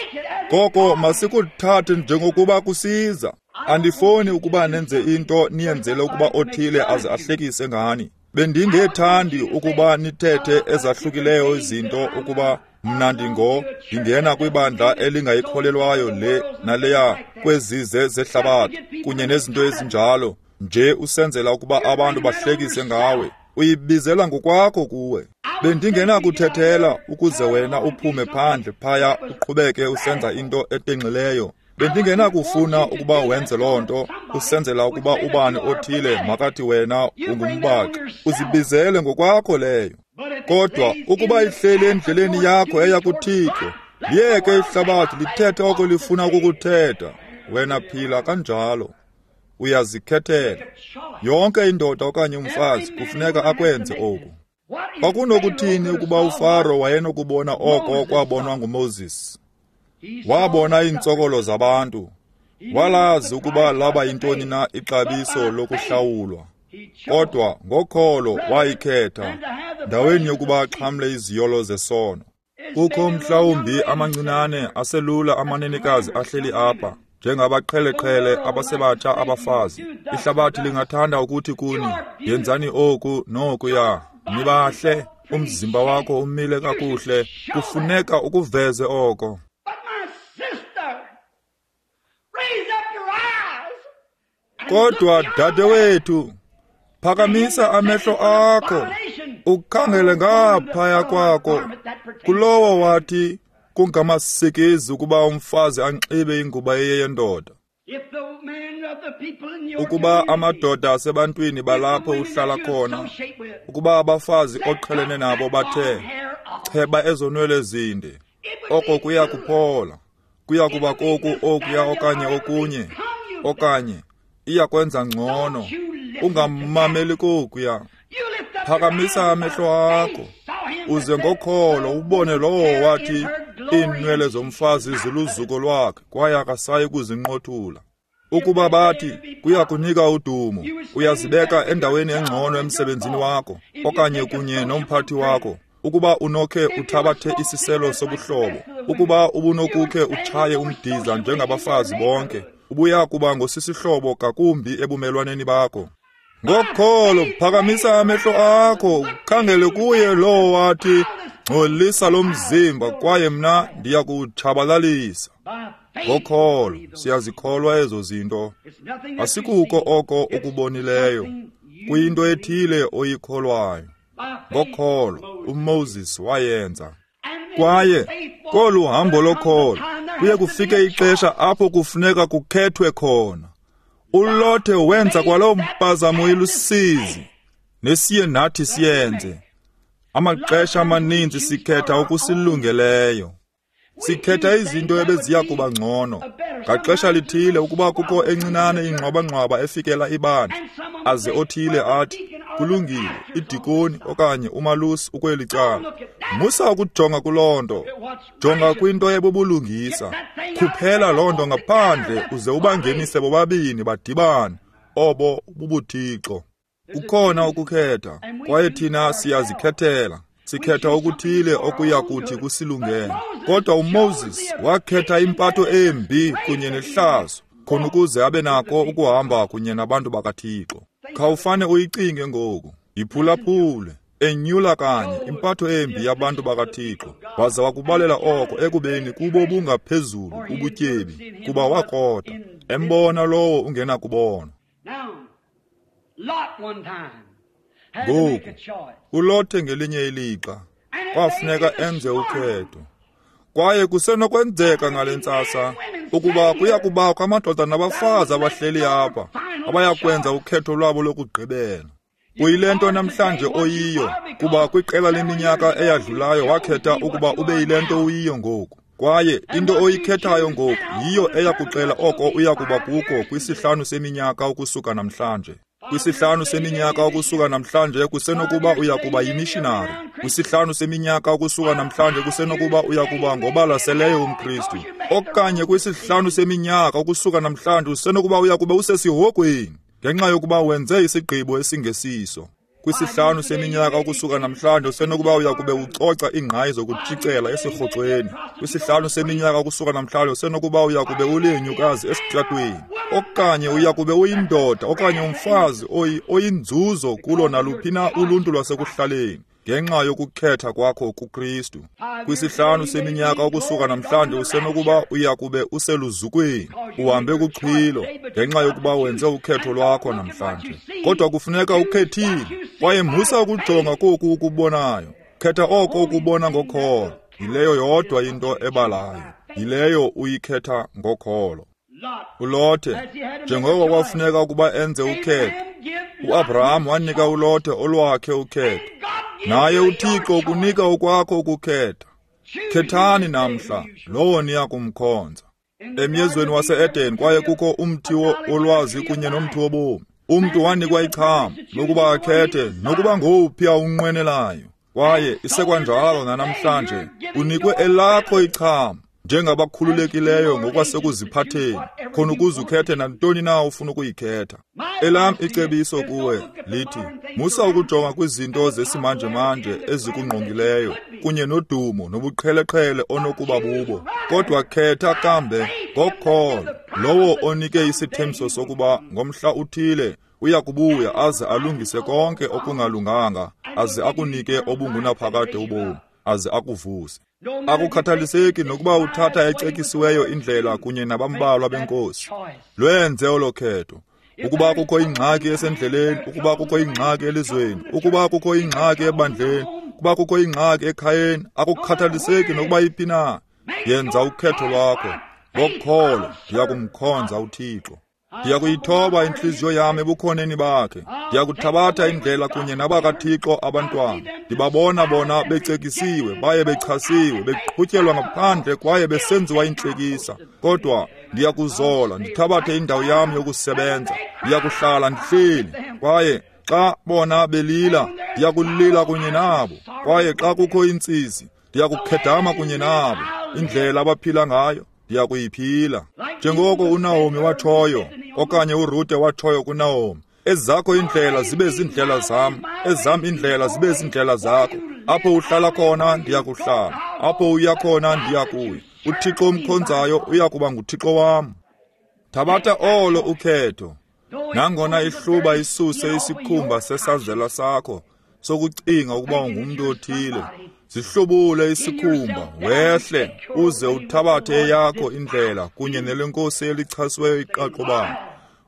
ngoko masikuthathe njengokuba kusiza. Andifuni ukuba nenze into niyenzele ukuba othile aze ahlekise ngani. Bendingethandi ukuba nithethe ezahlukileyo izinto ukuba mna ndingo ndingena kwibandla elingayikholelwayo le naleya kwezize zehlabathi kunye nezinto ezinjalo, nje usenzela ukuba abantu bahlekise ngawe. Uyibizela ngokwakho kuwe. Bendingenakuthethela ukuze wena uphume phandle phaya uqhubeke usenza into etenxileyo Bendingenakufuna ukuba wenze loo nto usenzela ukuba ubani othile makathi wena ungumbaxi. Uzibizele ngokwakho leyo. Kodwa ukuba ihleli endleleni yakho eya kuThixo, liyeke ihlabathi lithethe oko lifuna ukukuthetha. Wena phila kanjalo. Uyazikhethela. Yonke indoda okanye umfazi kufuneka akwenze oku. Kwakunokuthini ukuba uFaro wayenokubona oko kwabonwa nguMoses? Wabona iintsokolo zabantu. Walazi ukuba laba yintoni na ixabiso lokuhlawulwa. Kodwa ngokholo wayikhetha ndaweni yokuba axhamle iziyolo zesono. Kukho mhlawumbi amancinane aselula amanenekazi ahleli apha, njengabaqheleqhele abasebatsha abafazi. Ihlabathi lingathanda ukuthi kuni, yenzani oku nokuya. Nibahle, umzimba wakho umile kakuhle, kufuneka ukuveze oko. Kodwa dadewethu, phakamisa amehlo akho, ukhangele ngaphaya kwakho kulowo wathi kungamasikizi ukuba umfazi anxibe ingubo eyendoda. Ukuba amadoda asebantwini balapho uhlala khona, ukuba abafazi oqhelene nabo bathe cheba ezonwele zinde, oko kuya kuphola, kuya kuba koku okuya okanye okunye, okanye iya kwenza ngcono. Ungamameli kokuya. Phakamisa amehlo akho uze ngokholo ubone lowo wathi iinwele zomfazi ziluzuko lwakhe kwaye akasayi kuzinqothula. Ukuba bathi kuya kunika udumo, uyazibeka endaweni engcono emsebenzini wakho okanye kunye nomphathi wakho. Ukuba unokhe uthabathe isiselo sobuhlobo, ukuba ubunokukhe utshaye umdiza njengabafazi bonke, ubuya kuba ngosisihlobo kakumbi ebumelwaneni bakho. Ngokholo phakamisa amehlo akho ukhangele kuye lowo wathi ngcolisa lo mzimba kwaye mna ndiya kuwutshabalalisa. Ngokholo siyazikholwa ezo zinto. Asikuko oko ukubonileyo, kuyinto ethile oyikholwayo. Ngokholo uMoses wayenza. Kwaye kolu hambo lokholo kuye kufike ixesha apho kufuneka kukhethwe khona. uLothe wenza kwaloo mpazamo ilusizi, nesiye nathi siyenze. Amaxesha amaninzi sikhetha okusilungeleyo. Sikhetha izinto ebeziya kuba ngcono. Ngaxesha lithile ukuba kukho encinane ingxwabangxwaba efikela ibandla, aze othile athi, kulungile, idikoni okanye umalusi ukweli cala. Musa ukujonga kuloo nto. Jonga kwinto ebubulungisa. Khuphela loo nto ngaphandle uze ubangenise bobabini badibane. Obo bubuthixo. Kukhona ukukhetha, kwaye thina siyazikhethela. Sikhetha okuthile okuya kuthi kusilungele. Kodwa uMoses wakhetha impatho embi kunye nehlazo, khona ukuze abe nako ukuhamba kunye nabantu bakaThixo. Khawufane uyicinge ngoku, yiphulaphule, enyula kanye impatho embi yabantu bakaThixo, waza wakubalela oko ekubeni kubo bungaphezulu ubutyebi, kuba wakrota, embona lowo ungenakubona. Ngoku, uLothe ngelinye ilixa kwafuneka enze ukhetho. Kwaye kusenokwenzeka ngale ntsasa ukuba kuya kubakho amadoda nabafazi abahleli apha abayakwenza ukhetho lwabo lokugqibela. Uyile nto namhlanje oyiyo, kuba kwiqela leminyaka eyadlulayo wakhetha ukuba ube yile nto uyiyo ngoku. Kwaye into oyikhethayo ngoku yiyo eyakuxela oko uya kuba kuko kwisihlanu seminyaka ukusuka namhlanje. Kwisihlanu seminyaka ukusuka namhlanje kusenokuba uya kuba yimishinari. Kwisihlanu seminyaka ukusuka namhlanje kusenokuba uya kuba ngobalaseleyo umKristu. Okanye kwisihlanu seminyaka ukusuka namhlanje usenokuba uya kuba usesihogweni ngenxa yokuba wenze isigqibo esingesiso. Kwisihlanu seminyaka ukusuka namhlanje usenokuba uya kube ucoca iingqayi zokutshicela esirhoxweni. Kwisihlanu seminyaka ukusuka namhlanje usenokuba uya kube ulinyukazi esitratweni. Okanye uya kube uyindoda okanye umfazi oyinzuzo kulo naluphi na uluntu lwasekuhlaleni ngenxa yokukhetha kwakho kuKristu. Kwisihlanu seminyaka ukusuka namhlanje usenokuba uya kube useluzukweni, uhambe kuxhwilo ngenxa yokuba wenze ukhetho lwakho namhlanje. Kodwa kufuneka ukhethile, kwaye musa ukujonga koku ukubonayo. Khetha oko ukubona ngokholo. Yileyo yodwa into ebalayo. Yileyo uyikhetha ngokholo. ULothe, njengoko kwafuneka ukuba enze ukhetho, uAbraham wanika uLothe olwakhe ukhetho. Naye uThixo ukunika okwakho ukukhetha. Khethani namhla lowo niya kumkhonza. Emyezweni wase-Eden kwaye kukho umthi wolwazi kunye nomthi wobomi. Umntu wanikwa icham lokuba akhethe nokuba ngowuphi awunqwenelayo. Kwaye isekwanjalo nanamhlanje, unikwe elakho icham njengabakhululekileyo ngokwasekuziphatheni, khona ukuze ukhethe nantoni na ufuna ukuyikhetha. Elam icebiso kuwe lithi, musa ukujonga kwizinto zesimanjemanje ezikungqongileyo kunye nodumo nobuqheleqhele onokuba bubo, kodwa khetha kambe ngokholo lowo onike isithembiso sokuba ngomhla uthile uya kubuya aze alungise konke okungalunganga, aze akunike obungunaphakade ubomi, aze akuvuse. Akukhathaliseki nokuba uthatha ecekisiweyo indlela kunye nabambalwa benkosi, lwenze olo khetho. Ukuba kukho ingxaki esendleleni, ukuba kukho ingxaki elizweni, ukuba kukho ingxaki ebandleni, ukuba kukho ingxaki ekhayeni, akukhathaliseki nokuba iphi na, yenza ukhetho lwakho. Ngokholo ndiya kumkhonza uThixo. Ndiyakuyithoba intliziyo yam ebukhoneni bakhe. Ndiyakuthabatha indlela kunye nabakaThixo abantwana. Ndibabona bona becekisiwe, baye bechasiwe, beqhutyelwa ngaphandle kwaye besenziwa intlekisa. Kodwa ndiyakuzola, ndithabathe indawo yam yokusebenza. Ndiyakuhlala ndihleli. Kwaye xa bona belila, ndiyakulila kunye nabo. Kwaye xa kukho intsizi, ndiyakukhedama kunye nabo. Indlela abaphila ngayo ndiyakuyiphila. Njengoko uNaomi watshoyo, okanye uRute watshoyo kuNaomi, ezakho iindlela zibe ziindlela zam, ezam iindlela zibe ziindlela zakho. Apho uhlala khona ndiyakuhlala, apho uya khona ndiyakuya. UThixo omkhonzayo uya kuba nguThixo wam. Thabatha olo ukhetho. Nangona ihluba isuse isikhumba sesazela sakho sokucinga ukuba ungumntu othile, zihlubule isikhumba, wehle uze uthabathe eyakho indlela kunye nelenkosi elichasiweyo iqaqobana,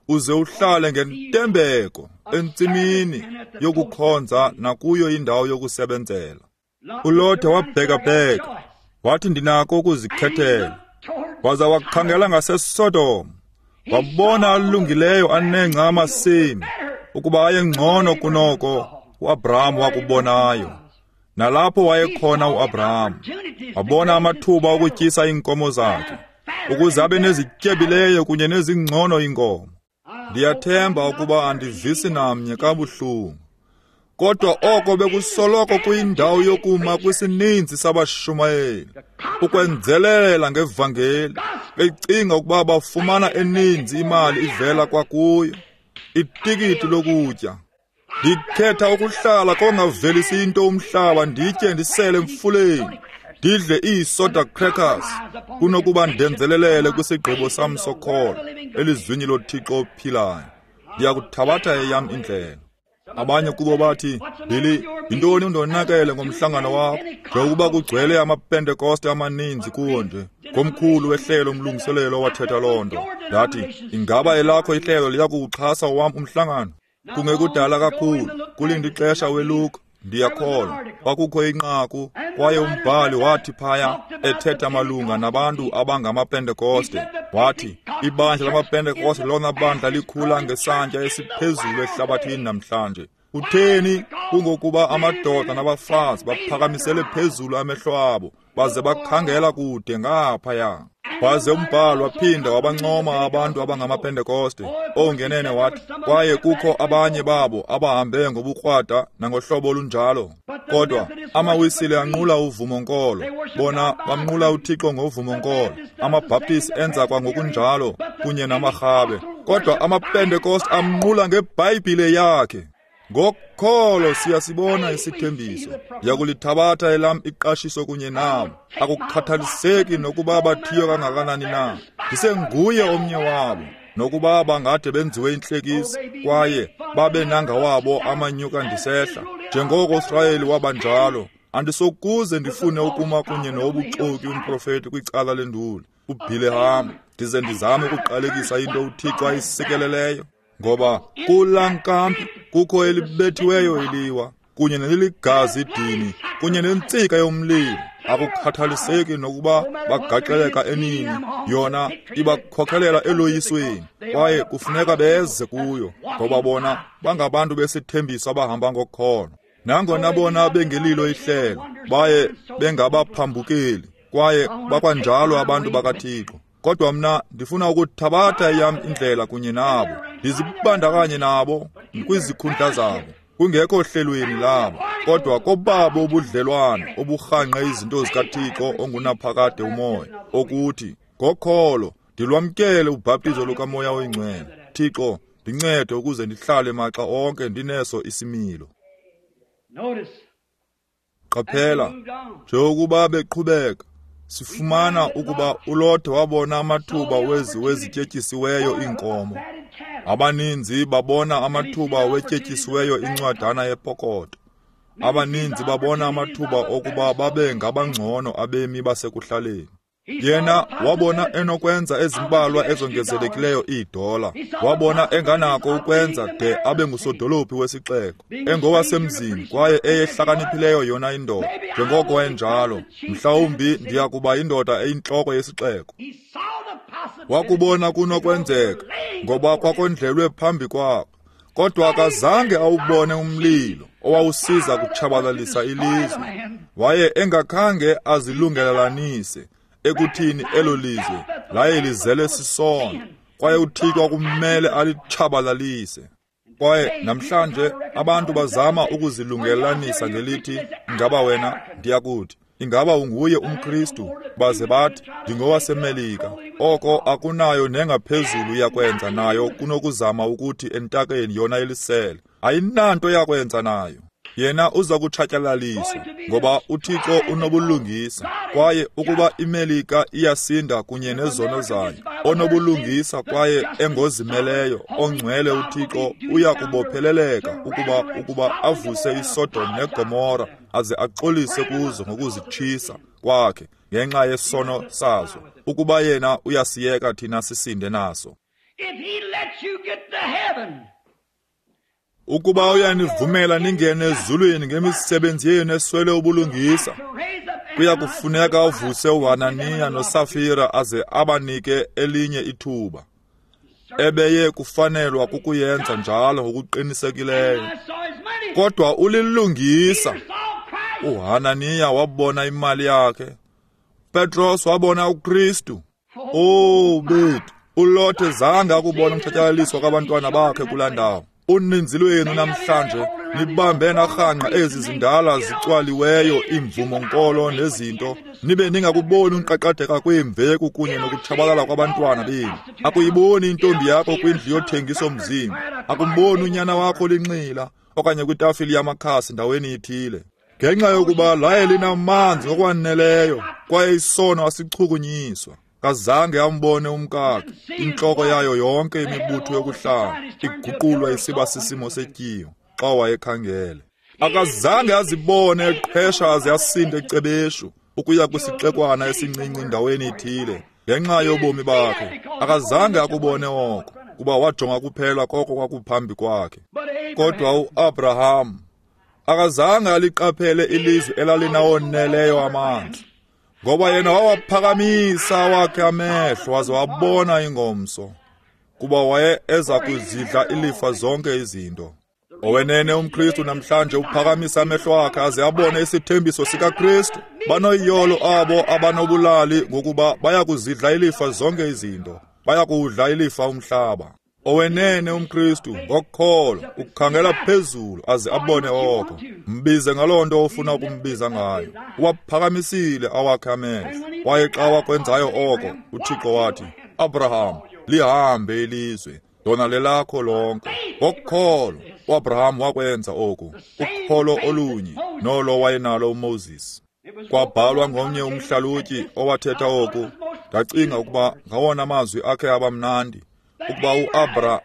uze uhlale ngentembeko entsimini yokukhonza nakuyo indawo yokusebenzela. uLothe wabhekabheka, wathi ndinako ukuzikhethela, waza wakhangela ngaseSodom, wabona alungileyo anengca amasimi ukuba ayengcono kunoko uAbraham wakubonayo. Nalapho wayekhona uAbraham, wabona amathuba okutyisa iinkomo zakhe, ukuze abe nezityebileyo kunye nezingcono iinkomo. Ndiyathemba ukuba andivisi namnye kabuhlungu, kodwa oko bekusoloko kuyindawo yokuma kwisininzi sabashumayeli, ukwenzelela ngevangeli, becinga ukuba bafumana eninzi imali ivela kwakuyo, itikiti lokutya. Ndikhetha ukuhlala kongavelisi into umhlaba, nditye ndisele emfuleni, ndidle iisoda crackers, kunokuba ndenzelelele kwisigqibo sam sokholo elizwini loThixo ophilayo. Ndiyakuthabatha eyam indlela. Abanye kubo bathi, Billy, yintoni undonakele ngomhlangano wakho, njengokuba kugcwele amaPentekoste amaninzi kuwo nje? Ngomkhulu wehlelo umlungiselelo owathetha loo nto. Ndathi, ingaba elakho ihlelo liyakuwuxhasa owam umhlangano? Kungekudala kakhulu, kulindi ixesha weLuka, ndiyakholwa, kwakukho inqaku, kwaye umbhali wathi phaya, ethetha malunga nabantu abangamaPentekoste, wathi, ibandla lamaPentekoste lona bandla likhula ngesantya esiphezulu ehlabathini namhlanje. Utheni? Kungokuba amadoda nabafazi baphakamisele phezulu amehlo abo, baze bakhangela kude ngaphaya. Waze umbhali waphinda wabancoma abantu abangamaPentekoste. Ongenene wathi, kwaye kukho abanye babo abahambe ngobukrwada nangohlobo olunjalo. Kodwa amaWisile anqula uvumonkolo, bona bamnqula uThixo ngovumonkolo. AmaBhaptist enza kwangokunjalo kunye namaRhabe, kodwa amaPentekoste amnqula ngeBhayibhile yakhe. Ngokholo siyasibona isithembiso. Ndiyakulithabatha elam iqashiso kunye nabo. Akukhathaliseki nokuba bathiywe kangakanani na, ndisenguye omnye wabo. Nokuba bangade benziwe intlekisa kwaye babe nangawabo amanyuka ndisehla, njengoko uSirayeli wabanjalo. Andisokuze ndifune ukuma kunye nobuxoki umprofeti kwicala lenduli uBhileham, ndize ndizame ukuqalekisa into uThixo ayisikeleleyo. Ngoba kulaa nkampi kukho elibethiweyo iliwa, kunye neliligazi idini, kunye nentsika yomlilo, Akukhathaliseki nokuba bagaxeleka enini, yona ibakhokelela eloyisweni, kwaye kufuneka beze kuyo, ngoba bona bangabantu besithembiso abahamba ngokholo. Nangona bona bengelilo ihlelo, baye bengabaphambukeli, kwaye bakwanjalo abantu bakaThixo. Kodwa mna ndifuna ukuthabatha eyam indlela kunye nabo, ndizibandakanye nabo kwizikhundla zabo, kungekho hlelweni labo, kodwa kobabo ubudlelwane oburhangqe izinto zikaThixo ongunaphakade umoya, okuthi ngokholo ndilwamkele ubhaptizo lukaMoya oyiNgcwele. Thixo, ndincede ukuze ndihlale maxa onke ndineso isimilo. Qaphela, njengokuba beqhubeka, sifumana ukuba uLothe wabona amathuba wezi wezityetyisiweyo iinkomo. Abaninzi babona amathuba wetyetyisiweyo incwadana yepokoto. Abaninzi babona amathuba okuba babe ngabangcono abemi basekuhlaleni. Yena wabona enokwenza ezimbalwa ezongezelekileyo iidola. Wabona enganako ukwenza de abe ngusodolophi wesixeko, engowasemzini kwaye eyehlakaniphileyo yona indoda. Njengoko wayenjalo, mhlawumbi ndiya kuba indoda eyintloko yesixeko. Wakubona kunokwenzeka, ngoba kwakondlelwe phambi kwakhe. Kodwa akazange awubone umlilo owawusiza kutshabalalisa ilizwe. Waye engakhange azilungelelanise ekuthini elo lizwe laye lizele sisono, kwaye uThixo kumele alitshabalalise. Kwaye namhlanje abantu bazama ukuzilungelelanisa ngelithi, ingaba wena, ndiyakuthi, ingaba unguye umKristu? Baze bathi, ndingowaseMelika. Oko akunayo nengaphezulu yakwenza nayo kunokuzama ukuthi entakeni yona elisele. Ayinanto yakwenza nayo. Yena uza kutshatyalaliswa, ngoba uThixo unobulungisa, kwaye ukuba iMelika iyasinda kunye nezono zayo, onobulungisa kwaye engozimeleyo, ongcwele uThixo uya kubopheleleka ukuba ukuba avuse iSodom neGomora aze axolise kuzo ngokuzitshisa kwakhe ngenxa yesono sazo, ukuba yena uyasiyeka thina sisinde naso. If he lets you get to heaven, Ukuba uyanivumela ningene ezulwini ngemisebenzi yenu eswele ubulungisa, kuya kufuneka avuse uHananiya noSafira aze abanike elinye ithuba. Ebeye kufanelwa kukuyenza njalo ngokuqinisekileyo. Kodwa ulilungisa. uHananiya wabona imali yakhe. Petros wabona uKristu. Oh bethu, uLothe zange akubona umtshatyalaliswa kwabantwana bakhe kulaa ndawo. Uninzi lwenu namhlanje nibambe narhangqa ezi zindala zicwaliweyo iimvumo-nkolo nezinto, nibe ningakuboni unqaqadeka kweemveku kunye nokutshabalala kwabantwana benu. Akuyiboni intombi yakho kwindlu yothengiso mzimba, akumboni unyana wakho linxila okanye kwitafile yamakhasi ndaweni ithile, ngenxa yokuba laye linamanzi ngokwaneleyo kwaye isono asichukunyiswa. Kazange ambone umkakhe, intloko yayo yonke imibutho yokuhlala iguqulwa isiba sisimo setyiwa xa wayekhangele. Akazange azibone eqhesha aze asinde ecebeshu ukuya kwisixekwana esincinci ndaweni ithile ngenxa yobomi bakhe. Akazange akubone oko, kuba wajonga kuphela koko kwakuphambi kwakhe. Kodwa uAbraham akazange aliqaphele ilizwe elalinawoneleyo amanzi, ngoba yena wawaphakamisa awakhe amehlo waze wabona ingomso, kuba waye eza kuzidla ilifa zonke izinto. Owenene umKristu namhlanje uphakamisa amehlo akhe aze abone isithembiso sikaKristu. Banoyolo abo abanobulali, ngokuba baya kuzidla ilifa zonke izinto, baya kuwudla ilifa umhlaba. Owenene umKristu ngokholo ukhangela phezulu aze abone oko. Mbize ngaloo nto ofuna ukumbiza ngayo. Uwaphakamisile awakhe amehlo, kwaye xa wakwenzayo oko, uThixo wathi, Abraham, lihambe ilizwe, lona lelakho lonke. Ngokholo uAbraham wakwenza oku, ukholo olunye nolo wayenalo uMoses. Kwabhalwa ngomnye umhlalutyi owathetha oku. Ndacinga ukuba ngawona mazwi akhe abamnandi, ukuba uAbra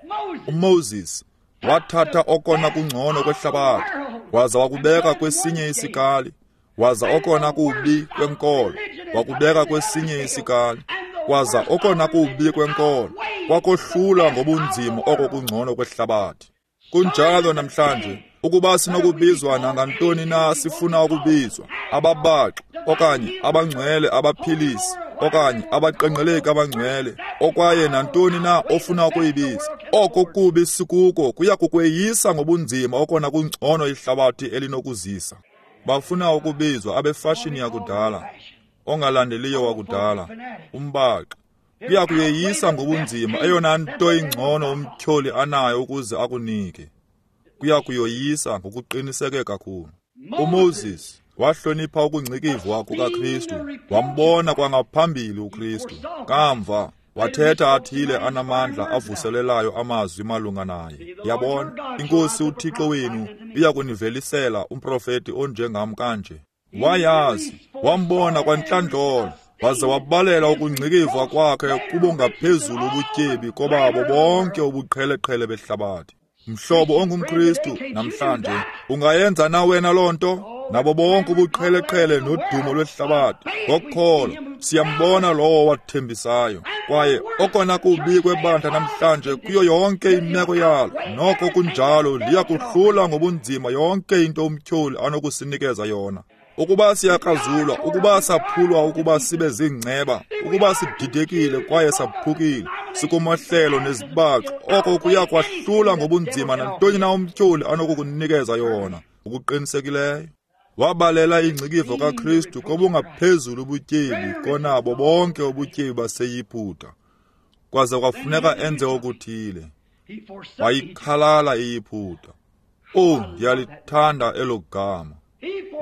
uMoses wathatha okona kungcono kwehlabathi waza wakubeka kwesinye isikali, waza okona kubi kwenkolo wakubeka kwesinye isikali, waza okona kubi kwenkolo wakohlula ngobunzima oko kungcono kwehlabathi. Kunjalo namhlanje, Ukuba sinokubizwa nangantoni na sifuna ukubizwa, ababaxi okanye abangcwele abaphilisi okanye abaqenqeleki abangcwele, okwaye nantoni na ofuna ukuyibiza, oko kubi sikuko kuya kukweyisa ngobunzima okona kungcono ihlabathi elinokuzisa. Bafuna ukubizwa abefashini yakudala, ongalandeliyo wakudala, umbaxi. Kuya kuyeyisa ngobunzima eyona nto ingcono umtyholi anayo ukuze akunike. Kuya kuyoyisa ngokuqiniseke kakhulu. UMoses wahlonipha ukungcikivwa kukaKristu, wambona kwangaphambili uKristu. Kamva wathetha athile anamandla avuselelayo amazwi malunga naye. Yabona, iNkosi uThixo wenu iya kunivelisela umprofeti onjengam kanje. Wayazi, wambona kwantlandlolo, waze wabalela ukungcikivwa kwakhe kubongaphezulu ubutyebi kobabo bonke ubuqheleqhele behlabathi. Mhlobo ongumKristu namhlanje, ungayenza na wena loo nto? Nabo bonke ubuqheleqhele nodumo lwehlabathi, ngokholo siyambona lowo wathembisayo. Kwaye okona kubi kwebandla namhlanje kuyo yonke imeko yalo, noko kunjalo liya kuhlula ngobunzima yonke into umtyholi anokusinikeza yona. Ukuba siyakrazulwa, ukuba saphulwa, ukuba sibe ziingceba, ukuba sididekile kwaye saphukile, sikumahlelo nezibaxo, oko kuya kwahlula ngobunzima nantoni na umtyholi anokukunikeza yona. Ukuqinisekileyo wabalela ingcikivo kaKristu kobungaphezulu ubutyebi konabo bonke ubutyebi baseYiputa. Kwaze kwafuneka enze okuthile. Wayikhalala iYiputa. Oh, ndiyalithanda elo gama.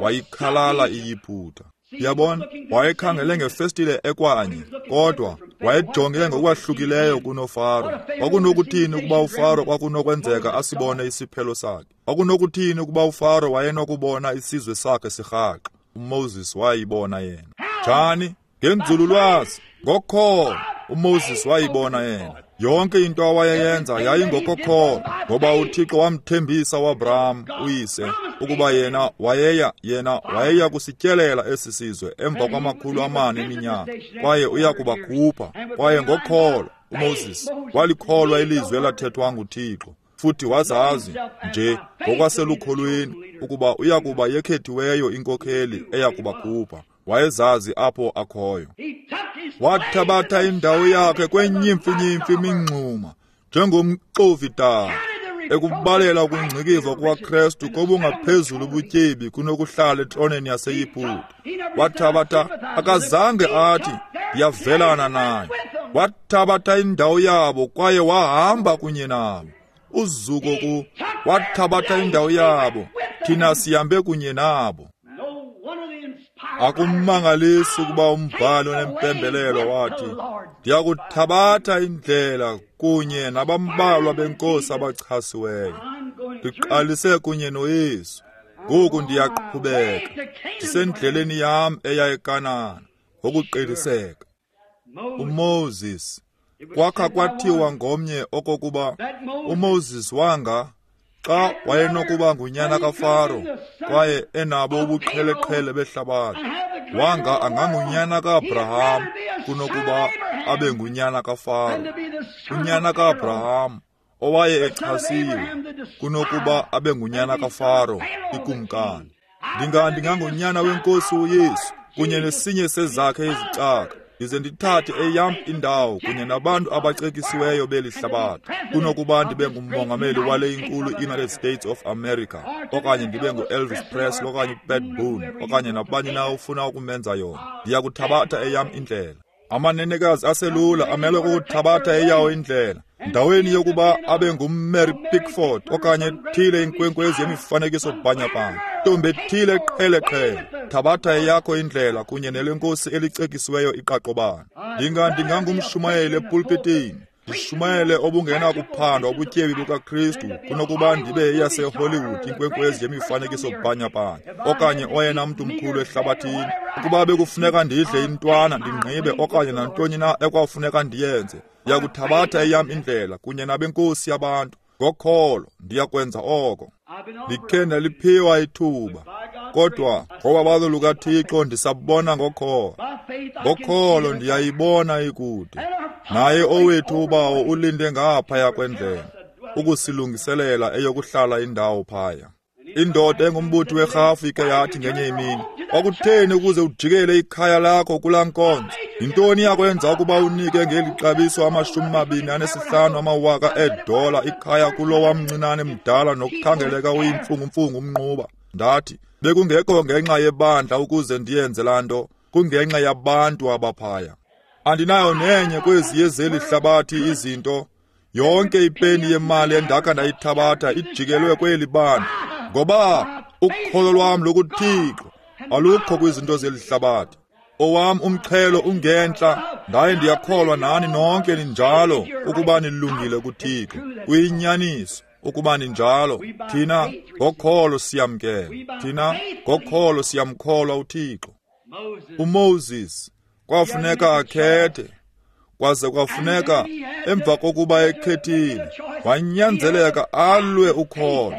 Wayikhalala iYiputa. Yabona, wayekhangele ngefestile ekwanye, kodwa wayejonge ngokwahlukileyo kunoFaro. Kwakunokuthini ukuba uFaro kwakunokwenzeka asibone isiphelo sakhe? Kwakunokuthini ukuba uFaro wayenokubona isizwe sakhe sirhaxa? uMoses wayibona yena. Njani? Ngenzululwazi, ngokholo. uMoses wayibona yena. Yonke into awayeyenza yayingokokholo, ngoba uThixo wamthembisa uAbraham uyise ukuba yena wayeya yena wayeya kusityelela esi sizwe emva kwamakhulu amane eminyaka, kwaye uya kubakhupha. Kwaye ngokholo uMoses walikholwa ilizwi elathethwa nguThixo, futhi wazazi nje ngokwaselukholweni ukuba uya kuba yekhethiweyo inkokheli eya kubakhupha. Wayezazi apho akhoyo. Wathabatha indawo yakhe kwenyimfinyimfi imingxuma njengomxovi-daka, ekubalela ukungcikivwa kukaKristu kobungaphezulu ubutyebi kunokuhlala etroneni yaseYiputa. Wathabatha, akazange athi ndiyavelana naye. Wathabatha indawo yabo kwaye wahamba kunye nabo. Uzuko ku wathabatha indawo yabo, thina sihambe kunye nabo. Akumangalisi ukuba umbhali onempembelelo wathi, ndiyakuthabatha indlela kunye nabambalwa benkosi abachasiweyo. Ndiqalise kunye noYesu, ngoku ndiyaqhubeka, ndisendleleni yam eya eKanana ngokuqiniseka. uMoses, kwakha kwathiwa ngomnye okokuba uMoses wanga xa wayenokuba ngunyana kaFaro kwaye enabo ubuqheleqhele behlabathi, wanga angangunyana kaAbraham kunokuba abe ngunyana kaFaro. Unyana kaAbraham owaye echasiwe kunokuba abe ngunyana kaFaro ikumkani. Ndinga ndingangunyana wenkosi uYesu kunye nesinye sezakhe izicaka, ndize ndithathe eyam indawo kunye nabantu abacekisiweyo beli hlabathi, kunokuba ndibe ngumongameli wale inkulu United States of America, okanye ndibe ngu-Elvis Presley okanye uPat Boone okanye nabani na ufuna ukumenza yona. Ndiyakuthabatha eyam indlela. Amanenekazi aselula amelwe kukuthabatha eyawo indlela. Ndaweni yokuba abe nguMary Pickford okanye ethile inkwenkwezi yemifanekiso bhanyabhanya, ntombi ethile qheleqhele, thabatha eyakho indlela kunye nelenkosi elicekisiweyo iqaqobana. Ndinga ndingangumshumayeli epulpitini, ndishumayele obungenakuphandwa ubutyebi bukaKristu kunokuba ndibe eyaseHollywood inkwenkwezi yemifanekiso bhanyabhanya okanye oyena mntu mkhulu ehlabathini. Ukuba bekufuneka ndidle intwana ndingqibe okanye nantoni na ekwafuneka ndiyenze, ndiyakuthabatha eyam indlela kunye nabenkosi yabantu. Ngokholo ndiyakwenza oko. Ndikhe ndaliphiwa ithuba, kodwa ngobabalo lukaThixo ndisabona ngokholo. Ngokholo ndiyayibona ikude. Naye owethu ubawo ulinde ngaphaya kwendlela ukusilungiselela eyokuhlala indawo phaya. Indoda engumbuthi werhafu ike yathi ngenye imini, kwakutheni ukuze ujikele ikhaya lakho kulaa nkonzo? Yintoni yakwenza ukuba unike ngeli xabiso amashumi mabini anesihlanu amawaka eedola ikhaya kulowa mncinane mdala nokukhangeleka uyimfungumfungu umnquba? Ndathi, bekungekho ngenxa yebandla ukuze ndiyenze laa nto, kungenxa yabantu abaphaya. Andinayo nenye kwezi yezeli hlabathi izinto. Yonke ipeni yemali endakha ndayithabatha ijikelwe kweli bandla, ngoba ukholo lwam lokuThixo alukho kwizinto zeli hlabathi. Owam umxhelo ungentla, ndaye ndiyakholwa nani nonke ninjalo ukuba nilungile kuThixo. Kuyinyaniso ukuba ninjalo. Thina ngokholo siyamkela, thina ngokholo siyamkholwa uThixo. UMoses kwafuneka akhethe, kwaze kwafuneka emva kokuba ekhethile wanyanzeleka alwe ukholo.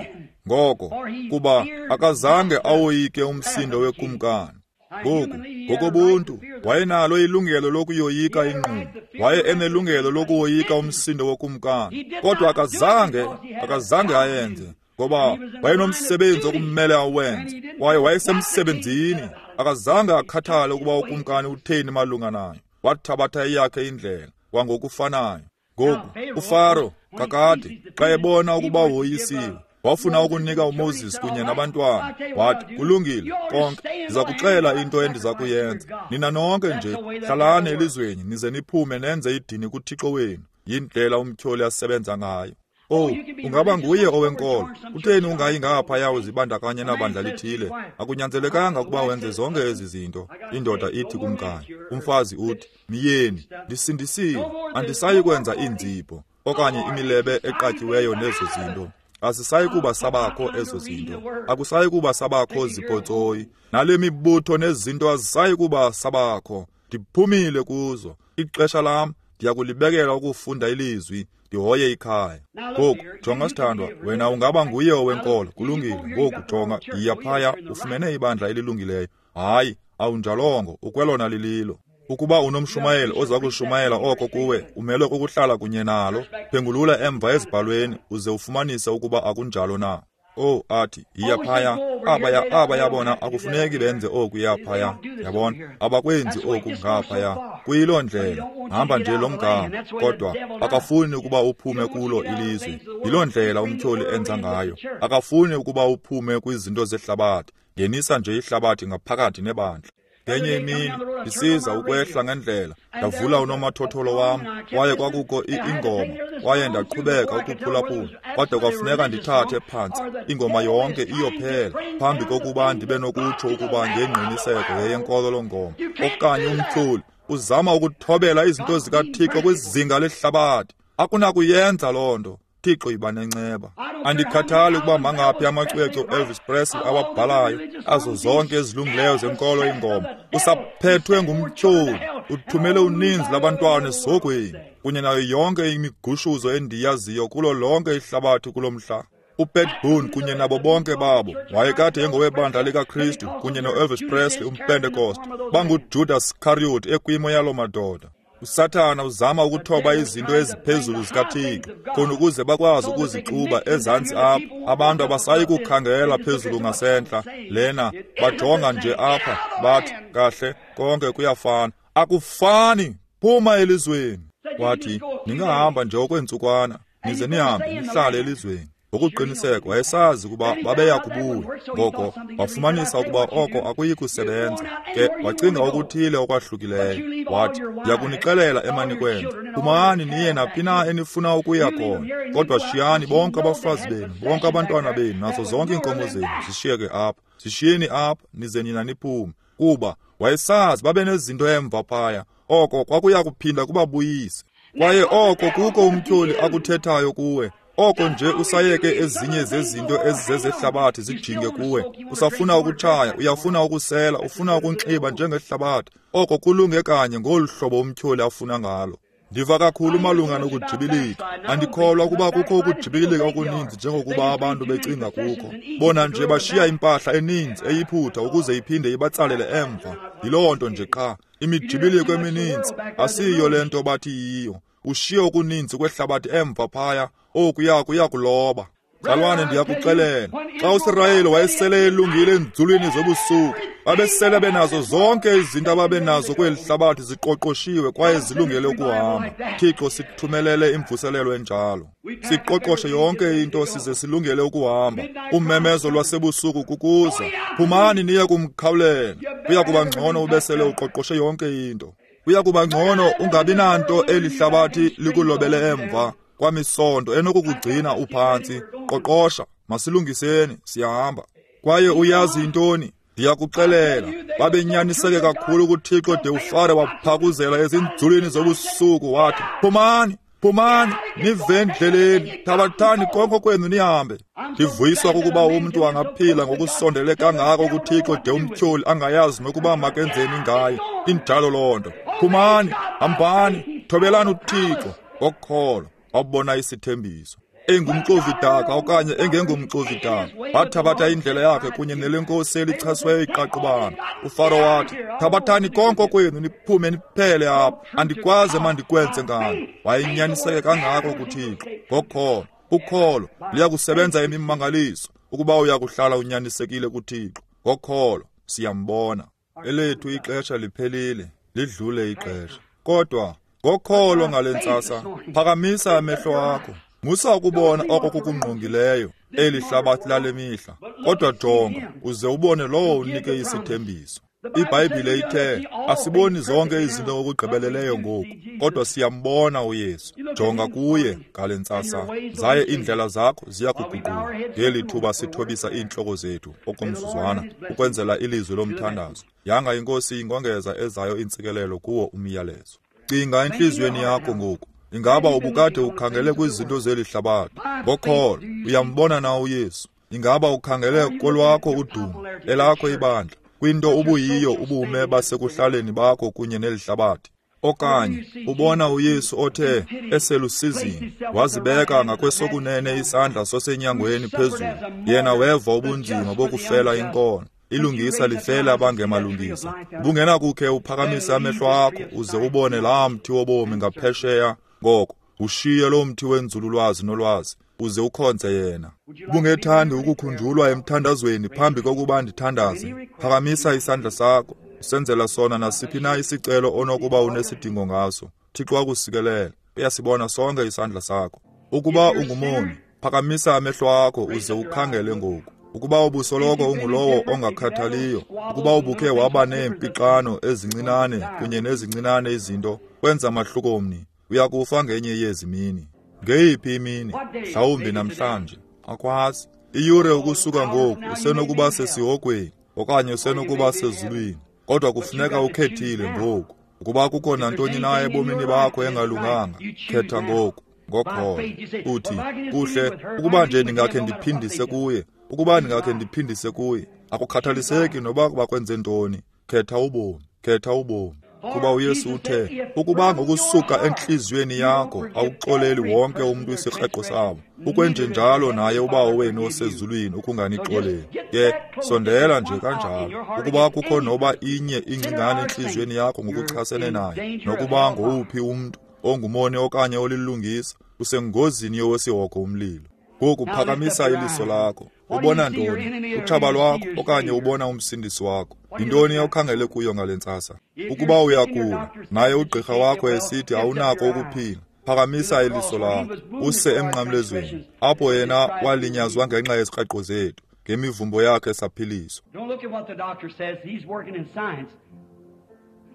Ngoko kuba akazange awoyike umsindo wekumkani. Ngoku ngokobuntu wayenalo ilungelo lokuyoyika ingqumbo, waye enelungelo lokuwoyika umsindo wokumkani, kodwa akazange akazange ayenze, ngoba wayenomsebenzi okumele awenze, kwaye wayesemsebenzini. Akazange akhathale ukuba ukumkani utheni malunga nayo. Wathabatha eyakhe indlela kwangokufanayo. Ngoku uFaro kakade xa ebona ukuba woyisiwe, wafuna ukunika uMoses kunye nabantwana. Wathi, kulungile konke, ndiza kuxela into endiza kuyenza. Nina nonke nje hlalani elizweni nize niphume nenze idini kuThixo wenu. Yindlela umtyholi asebenza ngayo. Oh, ungaba nguye owenkolo. Kutheni ungayi ngaphaya uzibandakanye nabandla lithile? Akunyanzelekanga ukuba wenze zonke ezi zinto. Indoda ithi kumkayo, umfazi uthi, myeni, ndisindisiwe, andisayi kwenza iinzipho okanye imilebe eqatyiweyo nezo zinto. Asisayi kuba sabakho ezo zinto. Akusayi kuba sabakho zipotsoyi. Nale mibutho nezinto azisayi kuba sabakho. Ndiphumile kuzo. Ixesha lam ndiyakulibekela ukufunda ilizwi, ndihoye ikhaya. Ngoku jonga sithandwa, wena ungaba nguye owenkolo. Kulungile. Ngoku jonga, yiya phaya ufumene ibandla elilungileyo. Hayi, awunjalongo, ukwelona lililo. Ukuba unomshumayeli oza kushumayela oko kuwe, umelwe kukuhlala kunye nalo. Phengulula emva ezibhalweni uze ufumanise ukuba akunjalo na. Oh, athi, yiya phaya, abaya aba yabona akufuneki benze oku yaphaya. Yabona, abakwenzi oku ngaphaya. Kuyiloo ndlela, hamba nje lo mgama, kodwa akafuni ukuba uphume kulo ilizwe. Yiloo ndlela umtyholi enza ngayo. Akafuni ukuba uphume kwizinto zehlabathi. Ngenisa nje ihlabathi ngaphakathi nebandla. Ngenye imini ndisiza ukwehla ngendlela, ndavula unomathotholo wam, kwaye kwakukho ingoma, kwaye ndaqhubeka ukuphulaphula, kodwa kwafuneka ndithathe phantsi ingoma yonke iyophela phambi kokuba ndibe nokutsho ukuba ngengqiniseko yeyenkolo loo ngoma. Okanye umtyholi uzama ukuthobela izinto zikaThixo kwizinga lehlabathi. Akunakuyenza loo nto. Thixo yiba nenceba. Andikhathali ukuba mangaphi amacwecwe Elvis Presley awabhalayo, azo zonke ezilungileyo zenkolo ingoma. Usaphethwe ngumtyholi, uthumele uninzi labantwana esihogweni, kunye nayo yonke imigushuzo endiyaziyo kulo lonke ihlabathi kulo mhla. uPat Boone kunye nabo bonke babo wayekade engowebandla likaKristu kunye noElvis Presley umPentecost, banguJudas Iscariot ekwimo yaloo madoda. uSathana uzama ukuthoba izinto eziphezulu zikaThixo khona ukuze bakwazi ukuzixuba ezantsi apha. Abantu abasayi kukhangela phezulu ngasentla lena, bajonga nje apha bathi kahle konke kuyafana. Akufani, phuma elizweni. Wathi, ningahamba nje okweentsukwana nize nihambe nihlale elizweni. Ngokuqiniseka wayesazi ukuba babeya kubuya. Ngoko wafumanisa ukuba oko akuyi kusebenza. Ke wacinga okuthile okwahlukileyo. Wathi, ndiyakunixelela emanikwenza, phumani niye naphi na enifuna ukuya khona, kodwa shiyani bonke abafazi benu, bonke abantwana benu, nazo zonke iinkomo zenu zishiyeke apha. Zishiyeni apha nize nina niphume. Kuba wayesazi babe nezinto emva phaya, oko kwakuya kuphinda kubabuyise. Kwaye oko kuko umtyholi akuthethayo kuwe. Oko nje usayeke ezinye zezinto ezizezehlabathi zijinge kuwe. Usafuna ukutshaya, uyafuna ukusela, ufuna ukunxiba njengehlabathi. Oko kulunge kanye ngolu hlobo umtyholi afuna ngalo. Ndiva kakhulu malunga nokujibilika. Andikholwa ukuba kukho ukujibilika okuninzi njengokuba abantu becinga kukho. Bona nje bashiya impahla eninzi eyiphutha ukuze iphinde ibatsalele emva. Yiloo nto nje qha. Imijibiliko emininzi asiyo le nto bathi yiyo. Ushiye okuninzi kwehlabathi emva phaya, okuya kuya kuloba. Mzalwane, ndiyakuxelela, xa uSirayeli wayesele elungile enzulwini zobusuku, babesele benazo zonke izinto ababenazo kweli hlabathi ziqoqoshiwe kwaye zilungele ukuhamba. Thixo, sithumelele imvuselelo enjalo. Siqoqoshe yonke into size silungele ukuhamba. Umemezo lwasebusuku kukuza. Phumani niye kumkhawulela. Kuya kuba ngcono ubesele uqoqoshe yonke into. Kuya kuba ngcono ungabi nanto eli hlabathi likulobele emva kwamisonto enokukugcina uphantsi. Qoqosha, masilungiseni, siyahamba. Kwaye uyazi intoni? Ndiyakuxelela, babenyaniseke kakhulu kuThixo de uFaro waphakuzela ezinzulwini zobusuku wathi, phumani, phumani, nive endleleni, thabathani konke kwenu nihambe. Ndivuyiswa kukuba umntu angaphila ngokusondele kangako kuThixo de umtyholi angayazi nokuba makenzeni ngaye. Injalo loo nto. Phumani, hambani, thobelani uThixo ngokholo. Wabona isithembiso. Engumxovidaka okanye engengumxovidaka, wathabatha indlela yakhe kunye nelenkosi elichasweyo iqaqobana. uFaro wathi, thabathani konke kwenu niphume niphele apha, andikwazi emandikwenze ngani. Wayenyaniseke kangako kuThixo ngokholo. Ukholo liyakusebenza imimangaliso ukuba uyakuhlala unyanisekile kuThixo ngokholo. Siyambona. Elethu ixesha liphelile, lidlule ixesha. Kodwa ngokholo ngale ntsasa, phakamisa amehlo akho. Musa ukubona oko kukungqongileyo eli hlabathi lale mihla, kodwa jonga uze ubone lowo unike isithembiso. IBhayibhile ithe asiboni zonke izinto ngokugqibeleleyo ngoku, kodwa siyambona uYesu. Jonga kuye ngale ntsasa, zaye iindlela zakho ziya kuguquka. Ngeli thuba sithobisa iintloko zethu okomzuzwana ukwenzela ilizwi lomthandazo. Yanga iNkosi ingongeza ezayo iintsikelelo kuwo umyalezo. Cinga entliziyweni yakho ngoku. Ingaba ubukade ukhangele kwizinto zeli hlabathi? Ngokholo uyambona na uYesu? Ingaba ukhangele kolwakho udumo, elakho ibandla, kwinto ubuyiyo ubume basekuhlaleni bakho kunye neli hlabathi? Okanye ubona uYesu othe eselusizini wazibeka ngakwesokunene isandla sosenyangweni phezulu, yena weva ubunzima bokufela inkono, ilungisa lifela abangemalungisa. Ubungenakukhe uphakamise amehlo akho uze ubone laa mthi wobomi ngaphesheya? Ngoko ushiye lo mthi wenzululwazi nolwazi uze ukhonze yena. Ubungethandi ukukhunjulwa emthandazweni phambi kokuba ndithandaze? Phakamisa isandla sakho usenzela sona nasiphi na isicelo onokuba unesidingo ngaso. Thixo akusikelele. Uyasibona sonke isandla sakho. Ukuba ungumoni, phakamisa amehlo akho uze ukhangele ngoku. Ukuba ubusoloko ungulowo ongakhathaliyo, ukuba ubukhe waba neempixano ezincinane kunye nezincinane izinto, kwenza mahluko mni? Uyakufa ngenye yezi mini. Ngeyiphi imini? Mhlawumbi namhlanje. Akwazi. Iyure ukusuka ngoku usenokuba sesihogweni okanye usenokuba sezulwini, kodwa kufuneka ukhethile ngoku. Ukuba kukho nantoni na ebomini bakho engalunganga, khetha ngoku ngokholo. Uthi, kuhle, ukuba nje ndingakhe ndiphindise kuye, ukuba ndingakhe ndiphindise kuye. Akukhathaliseki noba bakwenze ntoni, khetha ubomi, khetha ubomi. Kuba uYesu uthe, ukuba ngokusuka entliziyweni yakho awuxoleli wonke umntu isikreqo sabo, ukwenjenjalo naye uBawo wenu osezulwini ukunganixoleli. Ke sondela nje kanjalo. Ukuba kukho noba inye ingcingane entliziyweni yakho ngokuchasene naye, nokuba ngowuphi umntu ongumoni okanye olilungisa, usengozini yowesihogo umlilo. Ngoku phakamisa iliso lakho. Ubona ntoni? Utshaba lwakho okanye ubona umsindisi wakho? Yintoni okhangele kuyo ngale ntsasa? Ukuba uyagula, naye ugqirha wakho esithi awunako ukuphila, phakamisa iliso lakho use emnqamlezweni, apho yena walinyazwa ngenxa yezikreqo zethu, ngemivumbo yakhe saphiliswa. Don't look at what the doctor says. He's working in science.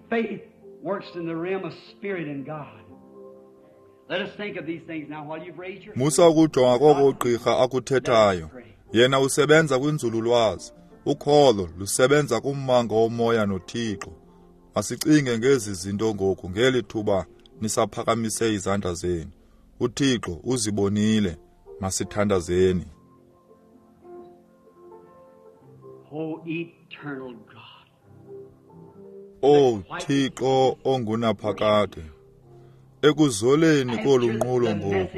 Faith works in the realm of spirit and God. Let us think of these things now while you've raised your Musa ukujonga koko ugqirha akuthethayo. Yena usebenza kwinzululwazi. Ukholo lusebenza kummango womoya noThixo. Asicinge ngezi zinto ngoku ngeli thuba nisaphakamise izandla zenu. uThixo uzibonile. Masithandazeni. O eternal God. O Thixo ongunaphakade, ekuzoleni kolu nqulo ngoku,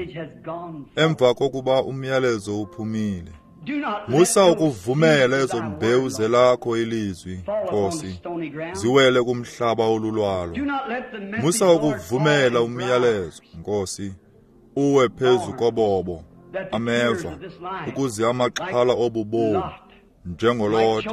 emva kokuba umyalezo uphumile, musa ukuvumela ezo mbewu zelakho ilizwi, Nkosi, ziwele kumhlaba olulwalo. Musa ukuvumela umyalezo, Nkosi, uwe phezu kobobo, ameva, ukuze amaxhala obubomi njengolothe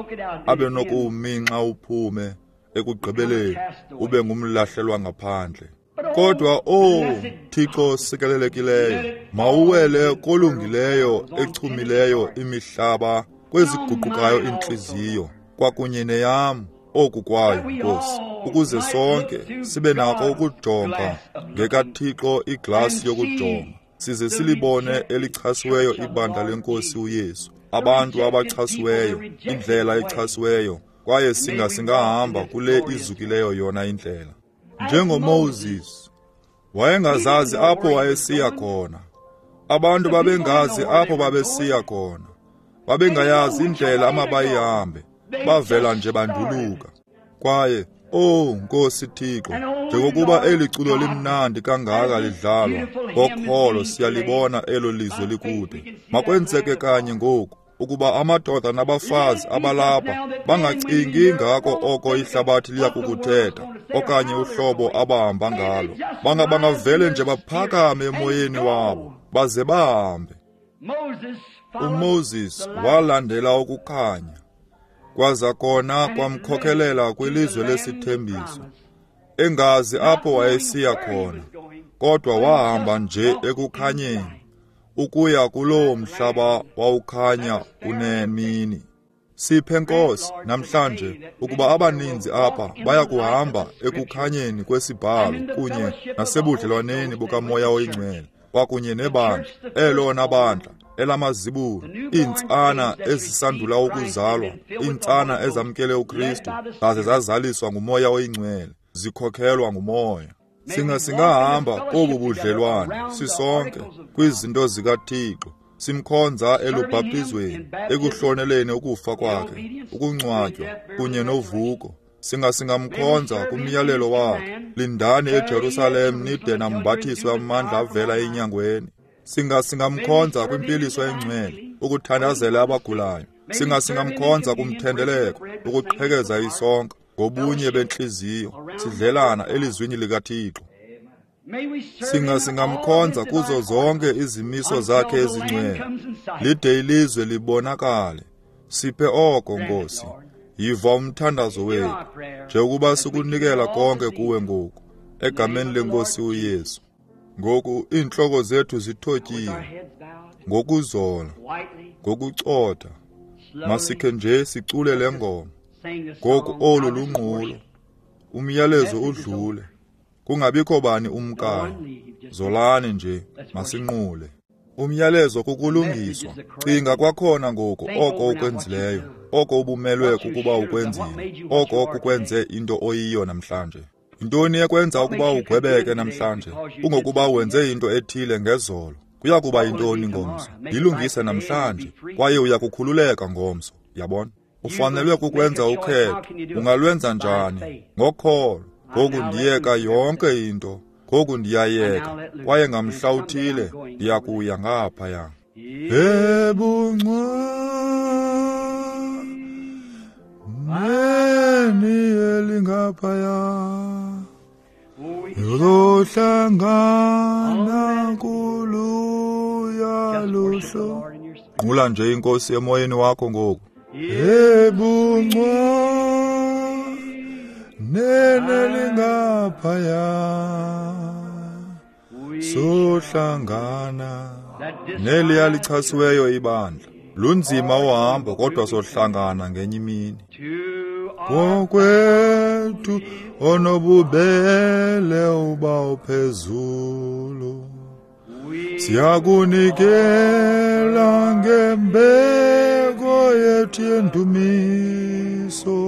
abe nokuwuminxa uphume ekugqibeleni ube ngumlahlelwa ngaphandle. Kodwa o Thixo sikelelekileyo, mawuwele kolungileyo echumileyo imihlaba kweziguqukayo intliziyo kwakunye neyam oku kwayo, Nkosi, ukuze sonke sibe nako ukujonga ngekaThixo iglasi yokujonga, size silibone elichasiweyo ibandla lenkosi uYesu, abantu abachasiweyo, indlela echasiweyo, kwaye singa singahamba kule izukileyo yona indlela. NjengoMoses wayengazazi apho wayesiya khona, abantu babengazi apho babesiya khona, babengayazi indlela amabayihambe, bavela nje banduluka. Kwaye oh Nkosi Thixo, njengokuba eli culo limnandi kangaka lidlalwa, ngokholo siyalibona elo lizwe likude. Makwenzeke kanye ngoku ukuba amadoda nabafazi abalapha bangacingi ngako oko ihlabathi liya kukuthetha okanye uhlobo abahamba ngalo, banga bangavele nje baphakame emoyeni wabo baze bahambe. UMoses walandela ukukhanya, kwaza kona kwamkhokelela kwilizwe lesithembiso, engazi apho wayesiya khona, kodwa wahamba nje ekukhanyeni ukuya kulowo mhlaba wawukhanya unemini. Siphe Nkosi namhlanje ukuba abaninzi apha baya kuhamba ekukhanyeni kwesibhalo kunye nasebudlelwaneni bukaMoya oyiNgcwele kwakunye nebandla, elona bandla elamazibulo, iintsana ezisandula ukuzalwa, iintsana ezamkele uKristu zaze zazaliswa nguMoya oyiNgcwele, zikhokhelwa nguMoya. Singa singahamba kobu budlelwane sisonke kwizinto zikaThixo, simkhonza elubhaptizweni, ekuhloneleni ukufa kwakhe, ukungcwatywa kunye novuko. Singa singamkhonza kumyalelo wakhe, lindani eJerusalem nide nambathiswe amandla avela enyangweni. Singa singamkhonza kwimpiliso engcwele, ukuthandazela abagulayo. Singa singamkhonza kumthendeleko, ukuqhekeza isonka ngobunye bentliziyo, sidlelana elizwini likaThixo. Singa singamkhonza kuzo zonke izimiso zakhe ezingcwele, lide ilizwe libonakale. Siphe oko Nkosi, yiva umthandazo wethu, njengokuba sikunikela konke kuwe ngoku, egameni lenkosi uYesu. Ngoku iintloko zethu zithotyiwe, ngokuzola, ngokucotha, masikhe nje sicule le ngoma. Ngoku olu lunqulo, umyalezo udlule, kungabikho bani umkayo. Zolani nje, masinqule. Umyalezo kukulungiswa. Cinga kwakhona ngoku oko ukwenzileyo, oko ubumelwe kukuba ukwenzile, oko kukwenze into oyiyo namhlanje. Yintoni ekwenza ukuba ugwebeke namhlanje? Kungokuba wenze into ethile ngezolo. Kuya kuba yintoni ngomso? Yilungise namhlanje, kwaye uya kukhululeka ngomso. Yabona? Ufanelwe kukwenza ukhetho. Ungalwenza njani? Ngokholo. Ngoku ndiyeka yonke into. Ngoku ndiyayeka, kwaye ngamhla uthile ndiyakuya ngaphaya. Ebuncwaneni elingaphaya, yohlangana kuluya luhlo. Nqula nje inkosi emoyeni wakho ngoku. Ebuncwaneni elingaphaya, sohlangana neliya lichasiweyo ibandla. Lunzima uhambo, kodwa sohlangana ngenye imini. Ngokwethu onobubele uba uphezulu, siyakunikela ngembeko yethu yendumiso,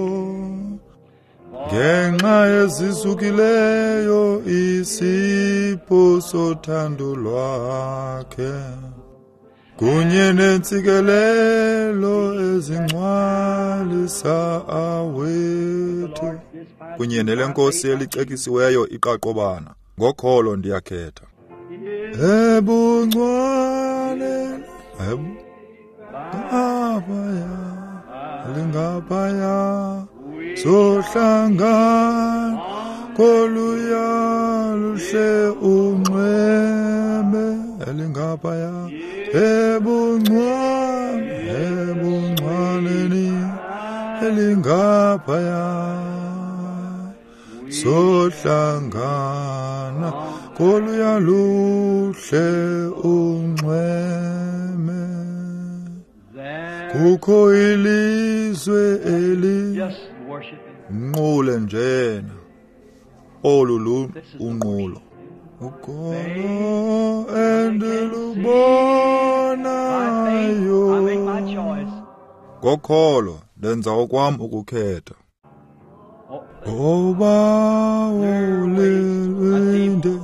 ngenxa ezisukileyo isipho sothando lwakhe, kunye nentsikelelo ezingcwalisa awethu. Kunye nelenkosi elicekisiweyo iqaqobana, ngokholo ndiyakhetha. Ebuncwane ngaphaya, lingaphaya, sohlangana koluya luhle unxweme. elingaphaya, ebuncwane, ebuncwaneni elingaphaya. Sohlangana koluya luhle unxweme, kukho ilizwe eli nqule njena olu lu unqulo. Ukholo endilubonayo, ngokholo ndenza okwam ukukhetha. Oba ulilinde,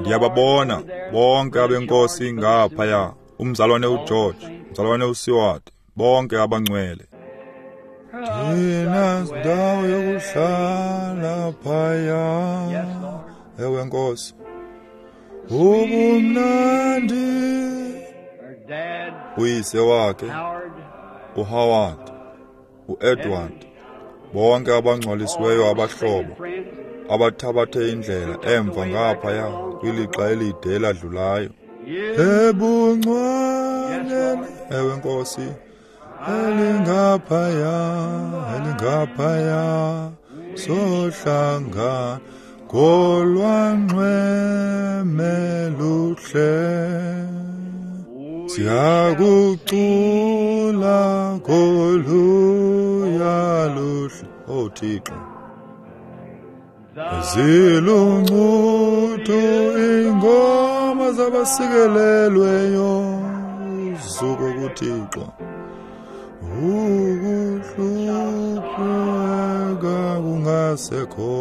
ndiyababona bonke abenkosi ngaphaya, umzalwane uGeorge, umzalwane uSeward, bonke abangcwele. Thina ndawo yokuhlala phaya. Ewe Nkosi, ubumnandi. Uyise wakhe uHoward, uEdward, bonke abangcwalisiweyo abahlobo abathabathe indlela emva ngaphaya kwilixa elide eladlulayo. Ebuncwaneni, ewe Nkosi, elingaphaya, elingaphaya, sohlangana kolwanxweme luhle. Siyakucula koluya luhle. Oh Thixo, ziluncudu ingoma zabasikelelweyo, uzuko kuThixo. Ukuhlupheka kungasekho,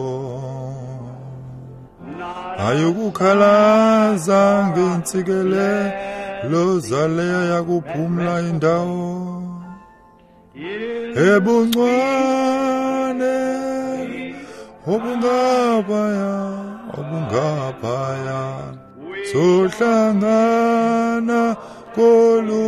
ayukukhalaza ngentsikelelo zaleyo yakuphumla indawo. Ebuncwane obungaphaya, obungaphaya, sohlangana kolu